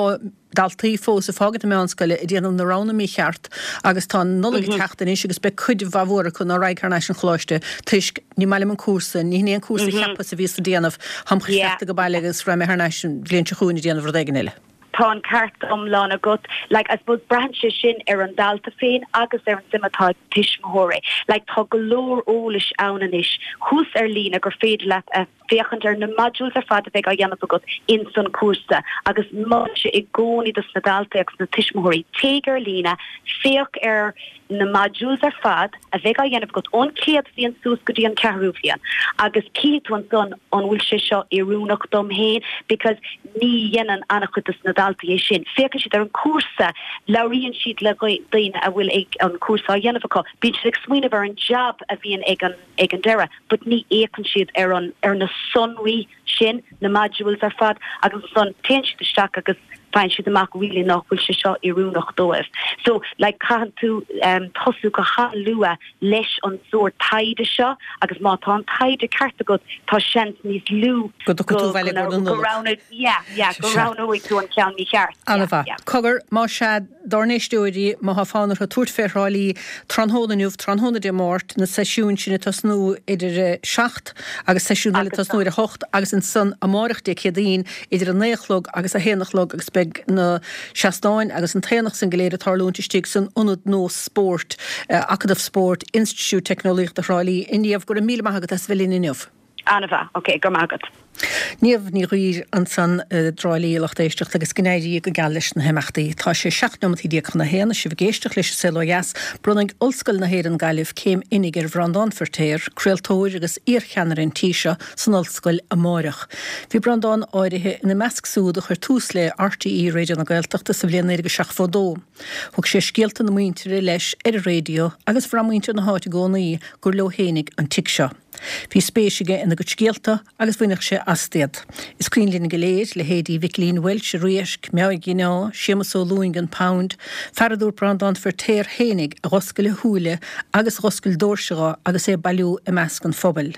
daltaí fós ag fágaint na meánscoile ag déanamh na roghanna mícheart agus tá an Nollaig ag teacht anois agus beidh cuid mhaith mhór acu nach raghaidh thar n-ais an choláiste toisc ní maith liom an cúrsa, ní hin é an cúrsa a cheapas a bhíos ag déanamh táim Yeah. cheapta go baile agus raghaidh mé thar n-ais an bhliain seo chugainn ag déanamh rud éigin eile. Tá an ceart iomlán agat like I suppose braitheann sé sin ar an dalta féin agus ar an suim atá ag tuismitheoirí. Like tá go leor eolais ann anois thuas ar líne gur féidir leat a féachaint ar na modules ar fad a bheidh á dhéanamh agat in san cúrsa agus molaimse i gcónaí dos na daltaí agus na tuismitheoirí téigh ar líne féach ar na modules ar fad a bheidh á dhéanamh agat ón chéad bhliain suas go dtí an ceathrú bhliain agus cífidh tú ansan an bhfuil sé seo oiriúnach dom féin because ní dhéanann an-chuid dos na daltaí é sin. Féachann siad ar an cúrsa, labhraíonn siad le daoine a bhfuil ag an cúrsa á dhéanamh acu, bíonn siad ag smaoineamh ar an jab a bhíonn ag an ag an deireadh but ní fhéachann siad ar an ar na sonraí sin, na modules ar fad agus ansan téann siad isteach agus faigheann siad amach really nach bhfuil sé seo oiriúnach dóibh. So like caitheann tú um, tosú go han-luath leis an sórt taighde seo agus má tá an taighde ceart agat tá seans níos lú go go roghnóidh tú an ceann mícheart. An-mhaith. Cogar, más ea dár n-éisteoirí, má tá fonn orthu tabhairt fé Thrá Lí tráthnóna inniu, tráthnóna Dé Máirt, na seisiúin sin ag tosnú idir a seacht agus seisiún eile ag tosnú ar a hocht agus ansan amárach Dé Céadaoin idir a naoi a chlog agus a haon a chlog agus beidh na seastáin agus an t-aonach san go léir ag tarlúint istigh san Ionad Nós Spóirt, Acadamh Spóirt, Institiúid Teicneolaíochta Thrá Lí. A Niamh, go raibh míle maith agat as a bheith linn inniu. An-mhaith, ok, go raibh maith agat. Niamh Ní Ghuidhir ansan i dTrá Lí, a lucht éisteachta, agus go n-éirí go geal leis na himeachtaí. Tá sé seacht neomataí déag chun a haon, is sibh ag éisteacht leis an Saol Ó Dheas. Bronnfaidh Ollscoil na hÉireann Gaillimh céim oinigh ar Bhreandán Feirtéar, craoltóir agus iarcheannaire an tí seo, san ollscoil amáireach. Bhí Breandán áirithe ina measc súd a chuir tús le RTÉ Raidió na Gaeltachta sa bhliain naoi déag seachtó dó. Thug sé scéalta na muintire leis ar an raidió agus bhraith muintir na háite i gcónaí gur leo fhéinig an tigh seo. Bhí spéis aige ina gcuid scéalta agus bhainfeadh sé astu iad. Is cuimhin linn go léir leithéidí Mhicilín Walsh i Rúisc, Meáig Ghineá, Séamus Ó Lúing, An Pound, fear a dúirt Breandán Feirtéar fhéinig a dh'oscail a shúile agus a dh'oscail doirse dho agus é ag bailiú i measc an phobail.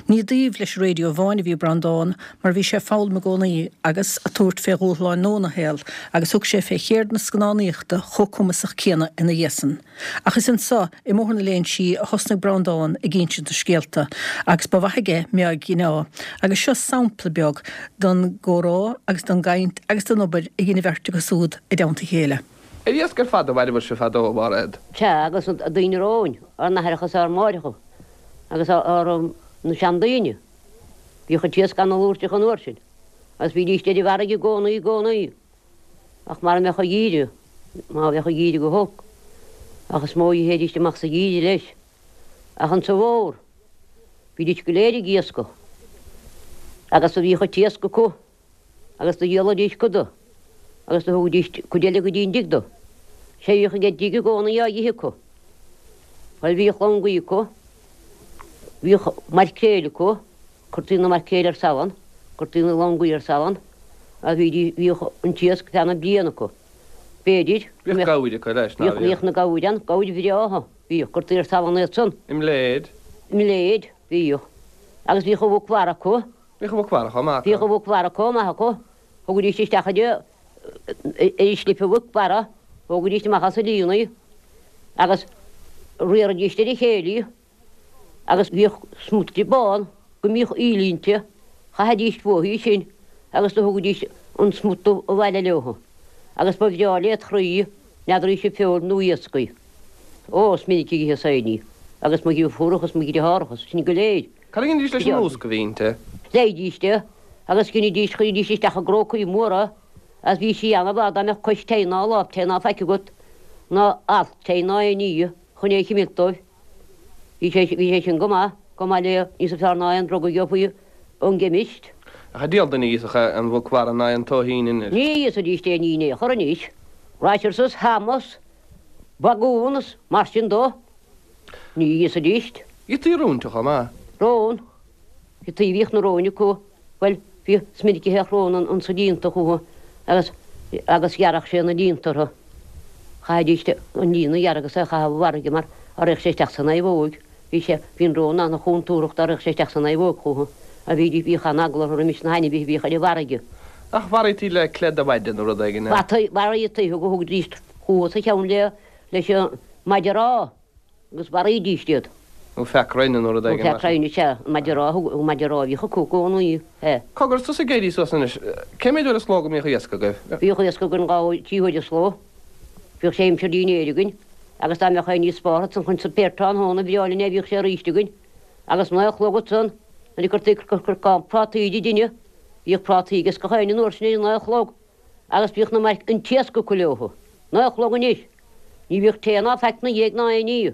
Ní i dtaobh leis an raidió amháin a bhí Breandán mar bhí sé ag foghlaim i gcónaí agus ag tabhairt fé dhúshláin nua ina shaol agus thug sé fé cheird na scannánaíochta chomh cumasach céanna ina dhiaidh san. Ach is anso i mBóthar na Léinsí a thosnaigh Breandán ag insint na scéalta agus ba mhaith aige Meáig Ghineá agus seo sampla beag den gcomhrá agus den gcaint agus den obair a dhein an bheirt acu súd i dteannta a chéile. Ar iasc ar fad a mhaireabhair sibh fadó, a Mhairéad? Sea, agus na daoine romhainn, ár n-aithreacha is ár máithreacha agus ár na seandaoine. Bhíodh an t-iasc ana-lúirteach an uair sin agus bhídíst ar an bhfarraige i gcónaí i gcónaí. Ach mara mbeadh an geimhreadh, má bheadh an geimhreadh go holc, ach is mó a théidíst amach sa gheimhreadh leis. Ach insa bhfómhar, bhídís go léir ag iascach agus do bhíodh an t-iasc acu agus do dhíolaidís cuid de agus do thugaidís cuid eile go dtí an dtigh do. Sé bhíodh ag an dtigh i gcónaí á dh'ithe acu. Bhuel, bhíodh longaí acu, bhíodh maircréil acu, Cuirtí na maircréil ar salann, cuirtí na longaí ar salann agus bhídís, bhíodh an t-iasc feadh na bliana acu. B'fhéidir go Bhíodh mbeadh, gabhair acu leis, ná bhíodh, bhíodh? bhíodh na gabhair ann, gabhair bhreátha, bhíodh, cuirtí ar salann iad san. I mbléid? I mbléid, bhíodh. Agus bhíodh an mhuc mhara acu. Bhíodh an mhuc mhara chomh maith acu. Bhíodh an mhuc mhara chomh maith acu. Thugaidís isteach ar an, ar an slip an mhuc mhara, thógaidís amach as an líon í agus riaraidís ar a chéile í. Agus bhíodh smut di bán go mbíodh íle inti, chaithidís uathu í sin agus do thugaidís an smut dubh abhaile leothu. Agus ba bhreá led chroí, n'fheadaraí sé feoil nó iasc í. Ó, is minic a dh'itheas féin í, agus mo dhriofúracha is mo dhriotháracha, sinn go léir. Cad a dheinidís leis an úsc a bhí inti? Leighidís é, agus dheinidís, chuiridís isteach i gcrócaí móra, agus bhí sí ana-mhaith dá mbeadh cois tae ná lámh tae ná faic agat, ná alt tae ná aon ní chun é a chimilt dóibh. Bhí sé, bhí sé sin go maith, chomh maith le níosa fearr ná aon drug a gheofaí ón gceimist. Ach an diabhal duine a íosfadh an mhuc mhara ná an tóithín anois. Ní íosfaidís aon ní in aon chor anois. Rashers is ham is bagún is mar sin dó. Ní íosfaidís. Ithí róin chomh maith. Rón. Ithí, bhíodh na róin acu. Bhuel, bhí, is minic a théadh rón ansa líonta chucu agus, agus ghearrfadh sé na líonta orthu. Chaithidís an líon a ghearradh agus é a chaitheamh i bhfarraige mar dá raghadh sé isteach san naomhóig, bhí sé, bhí an rón ana-chontúrthach dá raghadh sé isteach san naomhóig chucu. A bhí, bhíodh an-eagla orthu roimis na hainmhithe a bhíodh ar an bhfarraige. Ach mharaítí le cleith de mhaide nó rud éigin é. Mharaítí, thugaidís chucu sa cheann le, leis an maide rámha. Agus mharaídís iad. Nó fear crainn nó rud Nó éigin fear mar sin. crainn, sea. An maide rámha, an maide rámha a bhíodh acu i gcónaí, sea. Cogar, tusa ag éirí suas anois, cé mhéad uair sa ló go mbíodh iasc agaibh? Bhíodh iasc againn dhá uair, trí huaire sa ló. Bhíodh sé aimsir dinnéir againn agus dá mbeadh aon ní spártha ansan chun suipéir tráthnóna, bhreá linn é, bhíodh sé aríst againn. Agus naoi a chlog ansan, nuair a cuirtí corcán prátaí de dtine, bhíodh prátaí ages gach éinne an uair sin ar a naoi a chlog agus bhíodh na mairc, an t-iasc acu leothu. Naoi a chlog anois. Ní bhíodh tae ná faic 'na dhiaidh ná aon ní,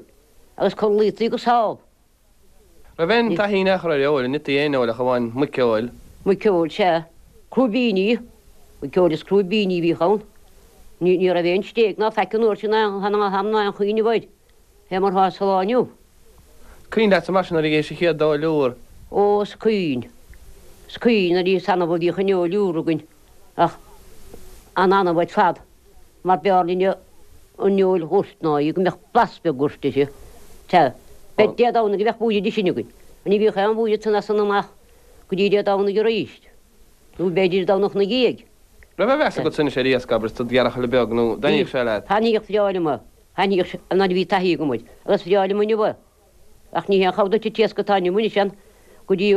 agus codlaítaí go sámh. Raibh aon taithí in aon chor ar fheoil, an n-ití aon fheoil ach amháin muiceoil? Muiceoil, sea. Crúibíní. Muiceoil is crúibíní a bhíodh ann. Ní, ní raibh aon stéig ná faic an uair sin ná ná ham ná aon chuimhneamh air. Fé mar atá sa lá inniu. Cuimhin leatsa mar sin nuair a dh'ithis an chéad fheoil úr? Ó, is cuimhin. Is cuimhin nuair is annamh a bhíodh an fheoil úr againn ach an-annamh ar fad mar b'fhearr linne an fheoil dhoirt ná í go mbeadh blas beag goirt uirthi. Sea, b'fhéidir Dé Domhnaigh a bheadh buaidhe de sin againn. Ní bhíodh aon bhuaidhe ansan as san amach go dtí Dé Domhnaigh arís, nó b'fhéidir Domhnach na dhiaidh. Raibh aon mheas agat anois ar iasc, abair, is tú id ghearrchaile beag, nó dtaitníodh sé leat? Thaitníodh bhreá liom é. Thaitníodh sé nuair a bhí taithí agam air, agus bhreá liom inniu é. Ach ní haon chabhair duit an t-iasc atá inniu anois ann go dtí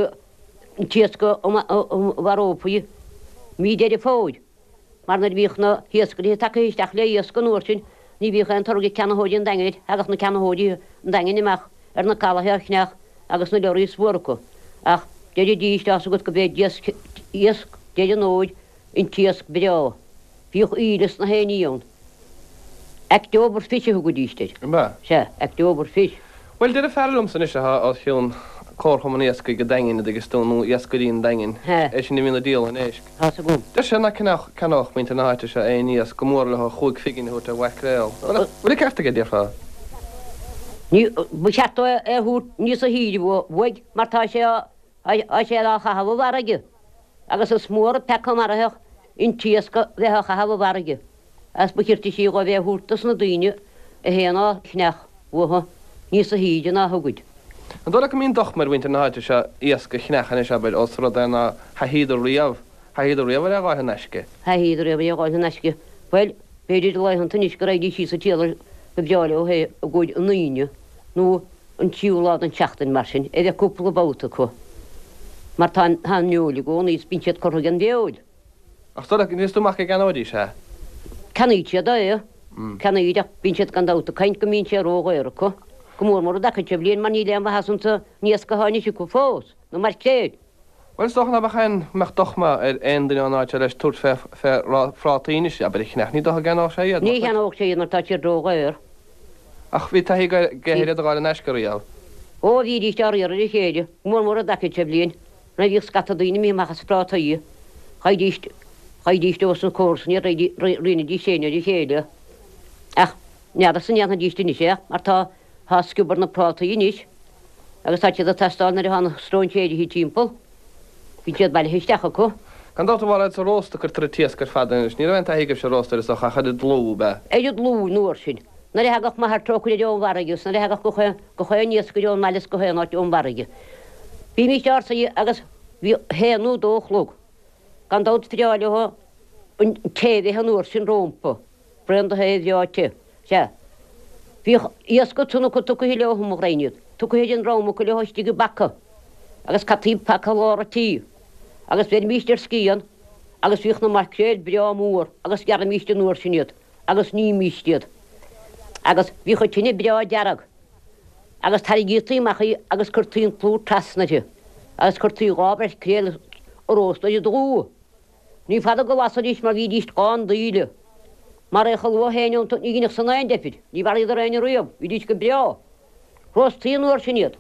an t-iasc a mharófaí mí Deireadh Fómhair. Mar nuair a bhíodh na hiascairí tagtha isteach le iasc an uair sin ní bhíodh aon toradh ag ceannaitheoirí an Daingin air, thagadh na ceannaitheoirí an Daingin amach ar na calaithe á cheannach agus na leoraí is mhór acu. Ach deiridís, tá's agat go b'é iasc Deireadh an Fhómhair an t-iasc breá. Bhíodh íle is na haon ní ann. October fish a thugaidís air. An b'ea? Sea, October fish. Bhuel, deir fear liomsa anois atá os cionn Comharchumann Iascaigh an Daingin, a dtuigeas tú, nó Iascairí an Daingin, Sea. é sin a bhíonn ag díol an éisc. Tá's agam. Deir sé nach gceannódh muintir na háite seo aon iasc gur mór leo chúig phingin a thabhairt ar mhaicréal. Bhfuil an ceart aige, déarfá? Ní, ba cheart dó é a thabhairt níosa shaoire uaidh mar tá sé á, tá sé á chaitheamh i bhfarraige agus is mór an peaca maraitheach an t-iasc a bheith á chaitheamh i bhfarraige. Agus ba chirte sí dhóibh é a thabhairt dos na daoine a théann á cheannach uathu níosa shaoire ná thugaid. An dóigh leat go mbíonn dochma ar mhuintir na háite seo iasc a cheannach anois, abair, ós rud é nár thaithíodar riamh, thaithíodar riamh ar é a dh'fháil in aisce? Thaithíodar riamh é a dh'fháil in aisce. Bhuel, b'fhéidir laethanta anois go raghaidís síos an tsíolar go breá leo é i gcomhair an Aoine nó an tríú lá den tseachtain mar sin, a bheith cúpla babhta acu. Mar tá an fheoil i gcónaí is bíonn siad curtha ag an bhfeoil. Ach is dóigh leat, níos tú amach go gceannóidís é? Ceannaíd siad é. Ceannaíd, ach bíonn siad gan dabht ag caint go mbíonn sé ródhaor acu, go mór mór i dtaca seo bhliain mar níl aon mhaitheas insa n-iasc atá anois acu fós, na maircréil. Bhuel, is dócha ná beadh aon, mbeadh dochma ar aon duine ón áit seo leis tabhairt fé, fé phrátaí anois, abair, a cheannach. Ní dócha go gceannódh sé iad, Ní cheannódh sé iad mar tá siad ródhaor. Ach bhí taithí aige ar iad a dh'fháil in aisce riamh. Ó, bhídís á riar ar a chéile, go mór mór i dtaca seo bhliain, nuair a bhíodh scata daoine imithe amach as prátaí, gheibhidís, gheibhidís ós na comharsana iad, roinnidís féin ar a chéile. Ach n'fheadarsa an ndéanfaidís anois é, mar tá, tá sciob ar na prátaí anois, agus tá siad ag teastáil nuair atá na stróinséirithe timpeall. Bíonn siad bailithe isteach acu. Gan dabht a Mhairéad sa rósta a cuirtear an t-iasc ar fad anois. Ní raibh aon taithí agaibhse ar rósta ar is dócha ach ar an dlúth, ab ea? Ar an dlúth an uair sin. Nuair a thagadh m'athair trócaire ón bhfarraige is nuair a thagadh gach aon, gach aon iascaire ón mbaile is gach aon áit ón bhfarraige. Bhímíst ár suí agus bhí a haon nó dó a chlog. Gan dabht bhreá leo an tae a bheith an uair sin rómpa. Braon de thae bhreá te. Sea. Bhíodh iasc ansan acu tugtha leo, mo ghraidhin iad. Tugtha ag an dream acu leo istigh i bpaca. Agus caití paca lár an tí. Agus bheirimíst ar scian agus bhíodh na maicréil breá mór agus ghearraimíst an uair sin iad agus nímíst iad. Agus bhíodh an tine breá dearg. Agus tarraingítí amach í agus cuirtí an plúr trasna uirthi. Agus cuirtí dhá mhaicréal a róstadh ar an dlúth. Ní fada go lasaidís mar bhídíst dhá ndaoileadh. Mar é chomh luath féin iontu ní dhéanfadh san aon deifir. Ní mharaíodar éinne riamh, bhídís go breá. Róstaí an uair sin iad.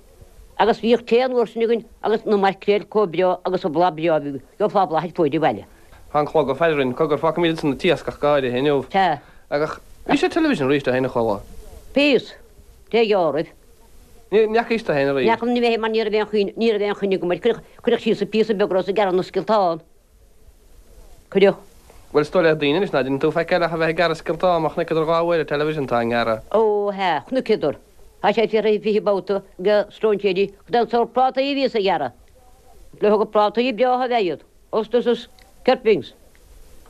Agus bhíodh tae an uair sin againn agus na maicréil chomh breá agus an blas breá a bhí, gheofá blas ar fuaid an bhaile. Tá an clog ag faire orainn, cogar, fágfaimid ansan an t-iasc ach go háirithe inniu. Sea. Ach bhí sé television arís ó shin a chuala. Bhíos. Dé ghearr. Ní fhacaís tú féin arís. Ní fhaca mé mar ní raibh aon chuimhne, ní raibh aon chuimhne agam air. Cuireadh, cuireadh síos an píosa beag a rabhas ag gearradh na scioltán. Cuireadh. Bhuel, is dóigh le daoine anois ná déanann tú faic eile ach a bheith ag gearradh scioltán, má chonaiceadar dhá uair ar television tá i ngearradh. Ó, hea, chonaiceadar. Tá sé fiafraithe fiche babhta ag stróinséirí cad é an sórt prátaí a bhíos a ghearradh. Le thug prátaí breátha a bheith iad, oysters is kerpings.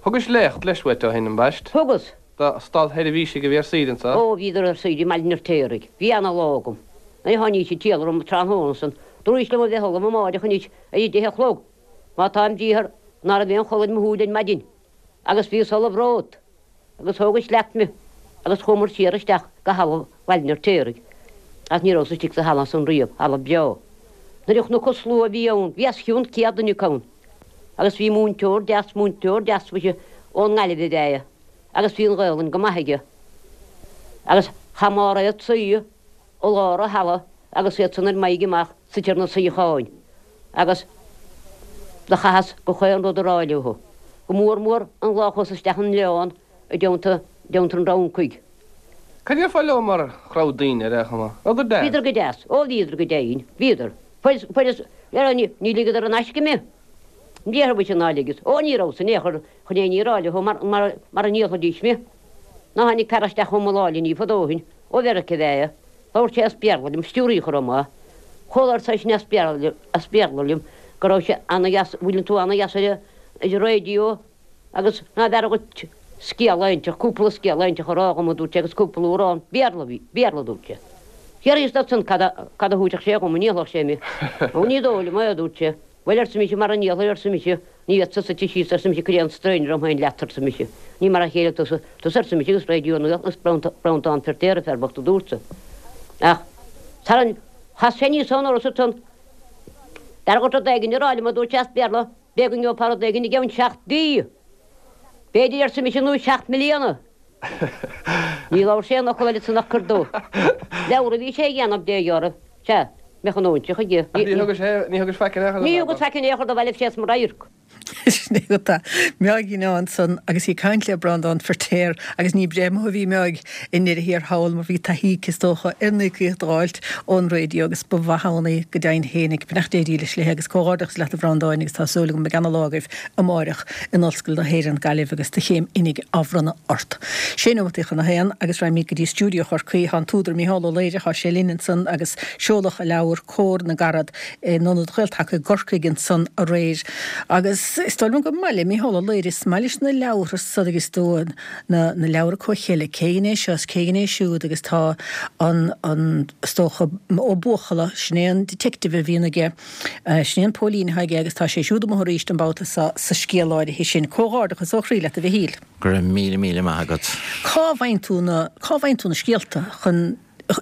Thugais léacht leis uait ó shin, ambaist? Thugas. Do státsheirbhísigh a bhí ar saoire anso. Ó, bhíodar ar saoire i mBaile an Fheirtéaraigh. Bhí ana-lá agam. Nuair a tháinís an triall orm tráthnóna san, dúraís liom a bheith ullamh amáireach anois ar a deich a chlog, má tá im bhriathar ná raibh aon chodladh ar mo shúil ar maidin. Agus bhíos ullamh romhat. Agus thógais leat me agus chuamair siar isteach go halla Bhaile an Fheirtéaraigh. Agus ní rabhas istigh sa halla san riamh, halla breá. Nuair a chonac an slua a bhí ann, bhí os cionn céad duine acu ann. Agus bhí múinteoir deas, múinteoir deas mhuise ón nGaillimh ab ea é, agus bhí an Ghaolainn go maith aige. Agus chaith Máiréad suí i lár an halla agus iadsan ar m'aghaidh amach suite ar na suíocháin. Agus do chaitheas gach aon rud a rá leo. Go mór mór an lá a chuas isteach an oileán i dteannta dteannta an Fhrancaigh. Cad é déarfá leo mar chrowd daoine ar aon chuma? Rabhadar deas? Bhíodar go deas. Ó bhíodar go deimhin. Bhíodar. Fuair, fuaireas, ar, ní, ní ligeadar in aisce mé. An déarfaidh mise ná ligeas. Ó ní rabhas in aon chor chun aon ní a rá leo mar, mar, mar a ndíolfaidís mé. Ná tháinig fear isteach chugam lá eile ní fadó ó shin, ó Mheiriceá ab ea é. Labhair sé as Béarla liom, stiúraí chomh maith. Chomh labhair seisean as Béarla, as Béarla liom go raibh sé ana-dheas, bhfuileann tú ana-dheas ar an, ar an raidió agus ná b'fhearr dhuit scéal inteacht, cúpla scéal inteacht a rá dhom, a dúirt sé, agus cúpla amhrán Béarla, bhí, Béarla, a dúirt sé. D'fhiafraíos de ansan cad a, cad a thabharfadh sé dhom, an ndíolfadh sé mé. Ó ní dóigh liom é, a dúirt sé. Bhuel, arsa mise, mara ndíolfaidh, arsa mise, ní fhéadfadsa suite síos, arsa mise, cur aon strain orm féin leat, arsa mise. Ní mar a chéile tusa, tusa, arsa mise, agus Raidió na Gaeltachta agus Breandán Feirtéar, a fear bocht, a dúrtsa. Ach tharraing, chas sé aníos ón doras ansan. B'fhearr dhuit rud éigin a rá liom, a dúirt sé as Béarla, b'fhéidir go ngeofá rud éigin i gceann seacht mhí. B'fhéidir, arsa mise, nó seacht mbliana. Ní labhair sé aon fhocal eile ansan ach cur dó. Leabhar a bhí sé a dhéanamh de, a dheartháir. Sea, mbeadh an óinseach aige. Ach ní thugas sé, ní thugas faic in aon chor Ní thugas faic in aon chor dó, bhail sé as mo radharc. Sin é tá Meáigín ansan agus í ag caint le Breandán Feirtéar agus ní breith amuigh a bhí Meáig i ndeireadh thiar thall mar bhí taithí aici is dócha ar an íocaíocht a dh'fháilt ón raidió agus ba mhaith ann í go deimhin fhéinig. Beannacht Dé dílis léi agus comhghairdeachas leat a Bhreandáin agus tá súil agam go mbeidh ana-lá agaibh amáireach in Ollscoil na hÉireann, Gaillimh agus do chéim oinigh á bhronnadh ort. Sé nóimeataí chun a haon agus raghaimid go dtí stiúideo Chorcaí. Tá an t-údar Mícheál Ó Laoire, tá sé linn ansan agus seoladh a leabhar Comhar na gCarad in Ionad Ghael-Taca i gCorcaigh ansan aréir agus is dóigh liom gur maith le Mícheál Ó Laoire, is maith leis na leabhartha san agus do na na leabhra comhcheilge, cé hé seo is cé hé siúd agus tá an an is dócha Ó Buachalla, sin é an detective a bhíonn aige, sin é an póilín atá aige agus tá sé siúd amuigh arís an babhta seo sa scéal áirithe sin. Comhghairdeachas ó chroí leat a Mhichíl. Go raibh míle míle maith agat. Cá bhfaigheann tú na, cá bhfaigheann tú na scéalta chun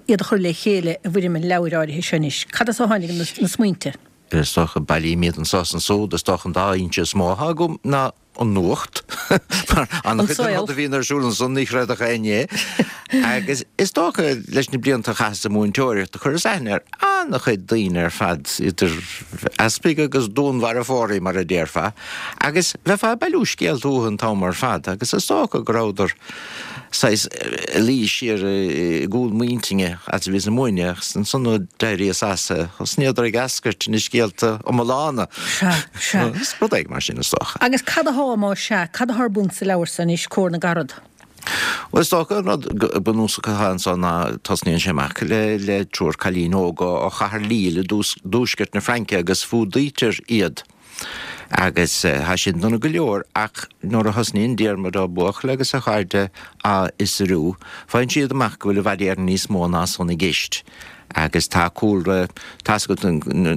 iad a chur le chéile i bhfoirm an leabhair áirithe seo anois? Cad as a tháinig na na smaointe? Is dócha, bailím iad anso is ansúd, is dócha an dá fhoinse is mó atá agam ná an nuacht, mar An an-chuid den saol. rud a bhíonn ar siúl ansan ní chreidfeadh éinne é. Agus is dócha leis na blianta a chaitheas ag múinteoireacht, do chuireas aithne ar an-chuid daoine ar fad, idir easpaig agus dúnmharfóirí mar a déarfá, agus bheifeá ag bailiú scéalta uathu an t-am ar fad agus is dócha go rabhadar saghas ag luí siar i gcúl m'intinne fhad is a bhíos ag múineadh agus ansan nuair a d'éiríos as, thosnaíodar ag eascairt ina scéalta iomlána. Sea, sea. Is rud éigin mar sin is dócha. Agus cad athá, más sea, cad athá ar bun sa leabhar so anois, Comhar na gCarad? Bhuel, is dócha an rud bunúsach atá anso ná tosnaíonn sé amach le le triúr cailín óga ó chathair Lille i dtuaisceart na Fraince agus fuadaítear iad. Agus tá sin dona go leor, ach nuair a thosnaíonn Diarmuid Ó Buachalla agus a chairde á fhiosrú, faigheann siad amach go bhfuil i bhfad Éireann níos mó ná san i gceist. Agus tá cúlra, tá's agat,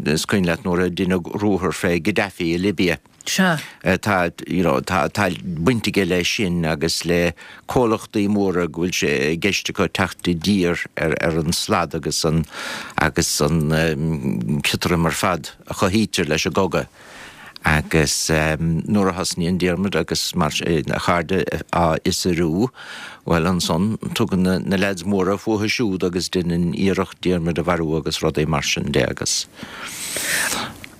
is cuimhin leat nuair a deineadh ruathar fé Gaddafi i Libia. Sea. Tá, you know, tá, tá baint aige leis sin agus le comhlachtaí móra go bhfuil sé i gceist acu teacht i dtír ar, ar an slad agus an, agus an ciotraim ar fad a chothaítear leis an gcogadh. Agus nuair a thosnaíonn Diarmuid agus mar a chairde á fhiosrú, bhuel ansan tugann na leaids móra fúthu siúd agus deineann iarracht Diarmuid a mharú agus rudaí mar sin de agus.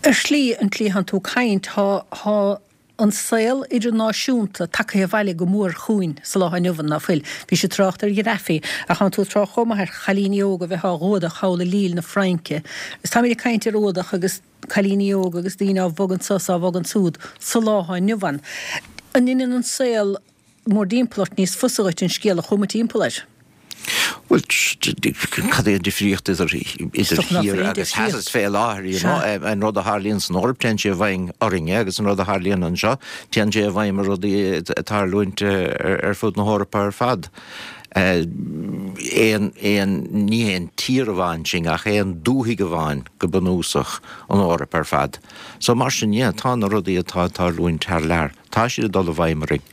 Ar shlí, an tslí a thánn tú ag caint, tá, tá an saol idirnáisiúnta tagtha abhaile go mór chugainn sa lá inniu ann, ná fuil? Bhís ag trácht ar Ghaddafi, ach thánn tú ag trácht chomh maith ar chailíní óga a bheith á bhfuadach thall i Lille na Fraince. Is táimid ag caint ar fhuadach agus cailíní óga agus daoine á bhogadh anso is á bhogadh ansúd sa lá atá inniu ann. An ndeineann an saol mórdtimpeall ort níos fusa dhuit an scéal a chumadh timpeall air? Bhuel, cad é an difríocht idir Is dócha nach thiar bhfuil aon agus theas difríocht. fé láthair, you know, Sea. an rud a tharlaíonn san Eoraip, téann sé i bhfeidhm orainne agus an rud a tharlaíonn anseo, téann sé i bhfeidhm ar rudaí ag tarlúint ar fud na hEorpa ar fad. Aon, aon, ní haon tír amháin sinn ach aon dúthaigh amháin go bunúsach, an Eoraip ar fad. So mar sin, yeah, tá na rudaí atá ag tarlúint thar lear, tá siad ag dul i bhfeidhm orainn.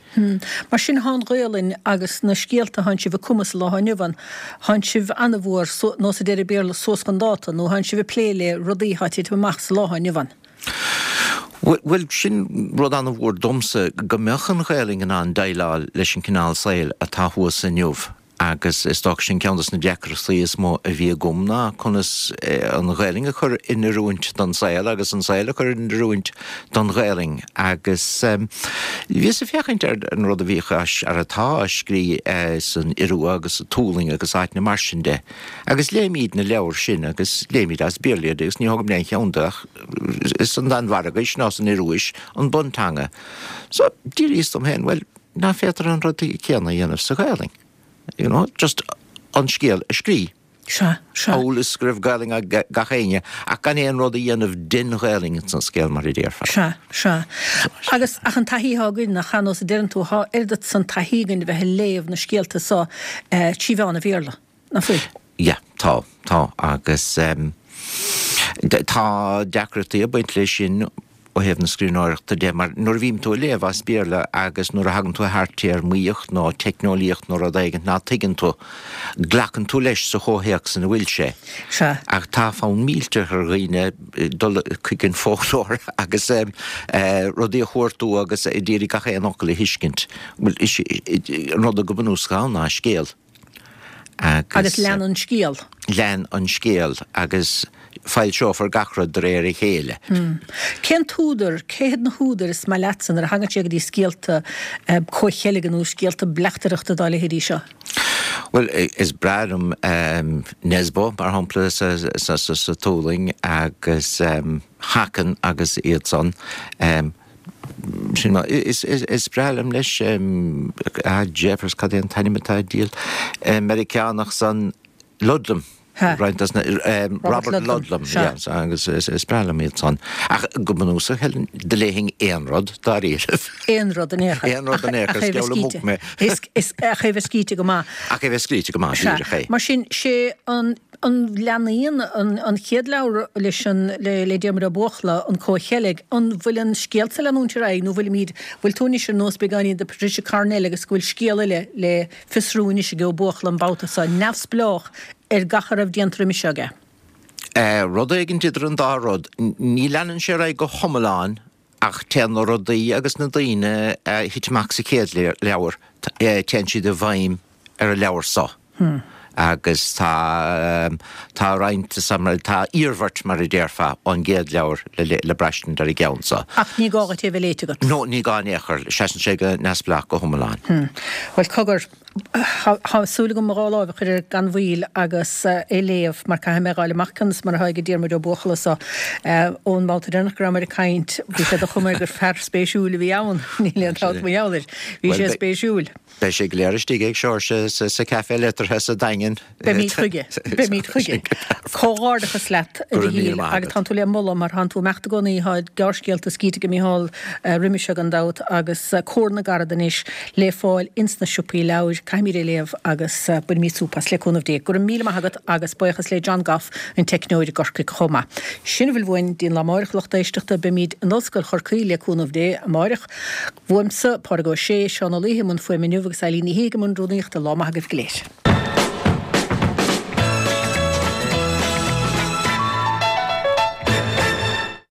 Mar sin thá an Ghaolainn agus na scéalta thánn sibh ag cumadh sa lá atá inniu ann, thánn sibh ana-mhór, nós a deir an Béarla, suas chun dáta, nó thánn sibh ag plé le rudaí thá ag titim amach sa lá atá inniu ann. Bhuel, sin rud an-mhór domsa, go mbeadh an Ghaelainn in ann déileáil leis an cineál saoil atá thuas inniu Agus is dócha sin ceann dos na deacrachtaí is mó a bhí agam ná conas an Ghaelainn a chur in oiriúint don saol agus an saol a chur in oiriúint don Ghaelainn. Agus bhíos ag féachaint ar an rud a bhíodh ar atá á scrí san Iorua agus sa Tualaing agus áiteanna mar sin de. Agus léimid na leabhair sin agus léimid as Béarla iad agus ní thógaim aon cheann de ach is san Danmhairgis ná san Ioruais an bunteanga. So d'éiríos dom féin, bhuel, ná féadtar an rud céanna a dhéanamh sa Ghaelainn? You know, just an scéal a scrí. Sea, sea. Amhail is go raibh Gaelainn ag gach éinne, ach gan aon rud a dhéanamh den Ghaelainn ins an scéal, mar a déarfá. Sea, sea. Agus, ach an taithí atá againn, nach ea, nós a deireann tú, thá oiread san taithí againn a bheith ag léamh na scéalta so trí mheán an Bhéarla, nach bhfuil? Yeah, tá, tá. Agus tá deacrachtaí ag baint leis sin ó thaobh na scríbhneoireachta de, mar nuair a bhíonn tú ag léamh as Béarla agus nuair a thagann tú thar téarmaíocht nó teicneolaíocht nó rud éigin ná tuigeann tú, glacann tú leis sa chomhthéacs ina bhfuil sé. Sea. Ach tá fonn millteach ar dhaoine dul chuig an foclóir agus rudaí a chuartú agus a d'iarraidh gach aon fhocal a thuiscint. Bhuel, is é an rud go bunúsach ann ná scéal. Agus. Agus lean an scéal. Lean an scéal agus foilseofar gach rud de réir a chéile. Cén t-údar, cé hiad na húdair is maith leatsa nuair a thagann sé go dtí scéalta comhcheilge nó scéalta bleachtaireachta dá leithéidí seo? Bhuel, is breá liom Nesbo, mar shampla, sa Tualaing agus Haken agus iad san. Sin mar, is breá liom leis, ah jeepers, cad é an t-ainm atá ar an diabhal Meiriceánach san, Ludlum, roinnt dos na, Robert Ludlum, yeah, agus is breá liom iad san. Ach go bunúsach, Helen, do léifinn aon rud dáiríribh. Aon rud in aon chor. Aon rud in aon chor, is geall le muc mé. Ach é bheith scríte go maith. Ach é bheith scríte go maith, díreach é. Mar sin, sé an. An leanaíonn an chéad leabhar leis an le Diarmuid Ó Buachalla, An Comhcheilg, an bhfuil an scéal sa leanúint ar aghaidh nó bhfuilimid, bhfuil tú anois ar nós beagáinín de Patricia Cornwell agus go bhfuil scéal eile le fiosrú anois ag Ó Buachalla an babhta seo, neamhspleách ar gach a raibh déanta roimis seo aige? Rud éigin idir an dá rud. Ní leanann sé ar aghaidh go hiomlán ach téann na rudaí agus na daoine a thit amach sa chéad leabhar, téann siad i bhfeidhm ar an leabhar seo. Agus tá, tá roinnt, tá iarmhairt, mar a déarfá, ón gcéad leabhar le braistint ar an gceann seo. Ach ní gá duit é a bheith léite agat. No, ní gá in aon chor. Seasann sé go neamhspleách go hiomlán. Bhuel, cogar, tá súil agam mo dhá láimh a chur air gan mhoill agus é a léamh, mar caithfidh mé a dh'fháil amach conas mar atá ag Diarmuid Ó Buachalla so. Ón mbabhta deireanach go rabhamar ag caint, bhí sé de chuma air gur fear spéisiúil a bhí ann. Níl aon dabht mar gheall air. Bhí sé spéisiúil. Beidh sé go léir istigh ag Seoirse sa Café Liteartha sa Daingean. Beimid chuige. Beimid chuige. Comhghairdeachas leat, a Mhichíl, agus tánn tú le moladh mar thánn tú ag imeacht i gcónaí, thá gearrscéalta scríte ag Micheál roimis seo gan dabht agus Comhar na gCarad anois le fáil ins na siopaí leabhair. Caithfimid é léamh agus bainfimid súp as le cúnamh Dé. Go raibh míle maith agat agus buíochas le John Goff, an teicneoir i gCorcaigh chomh maith. Sin a bhfuil uainn dtí'n lá amáireach, lucht éisteachta. Beimid in Ollscoil Chorcaí le cúnamh Dé amáireach. Uaimse, Pádraig Ó Sé, Seán Ó Laoithe i mbun fuaime inniu agus Eileen Ní Shé i mbun rúnaíochta. Lá maith agaibh go léir.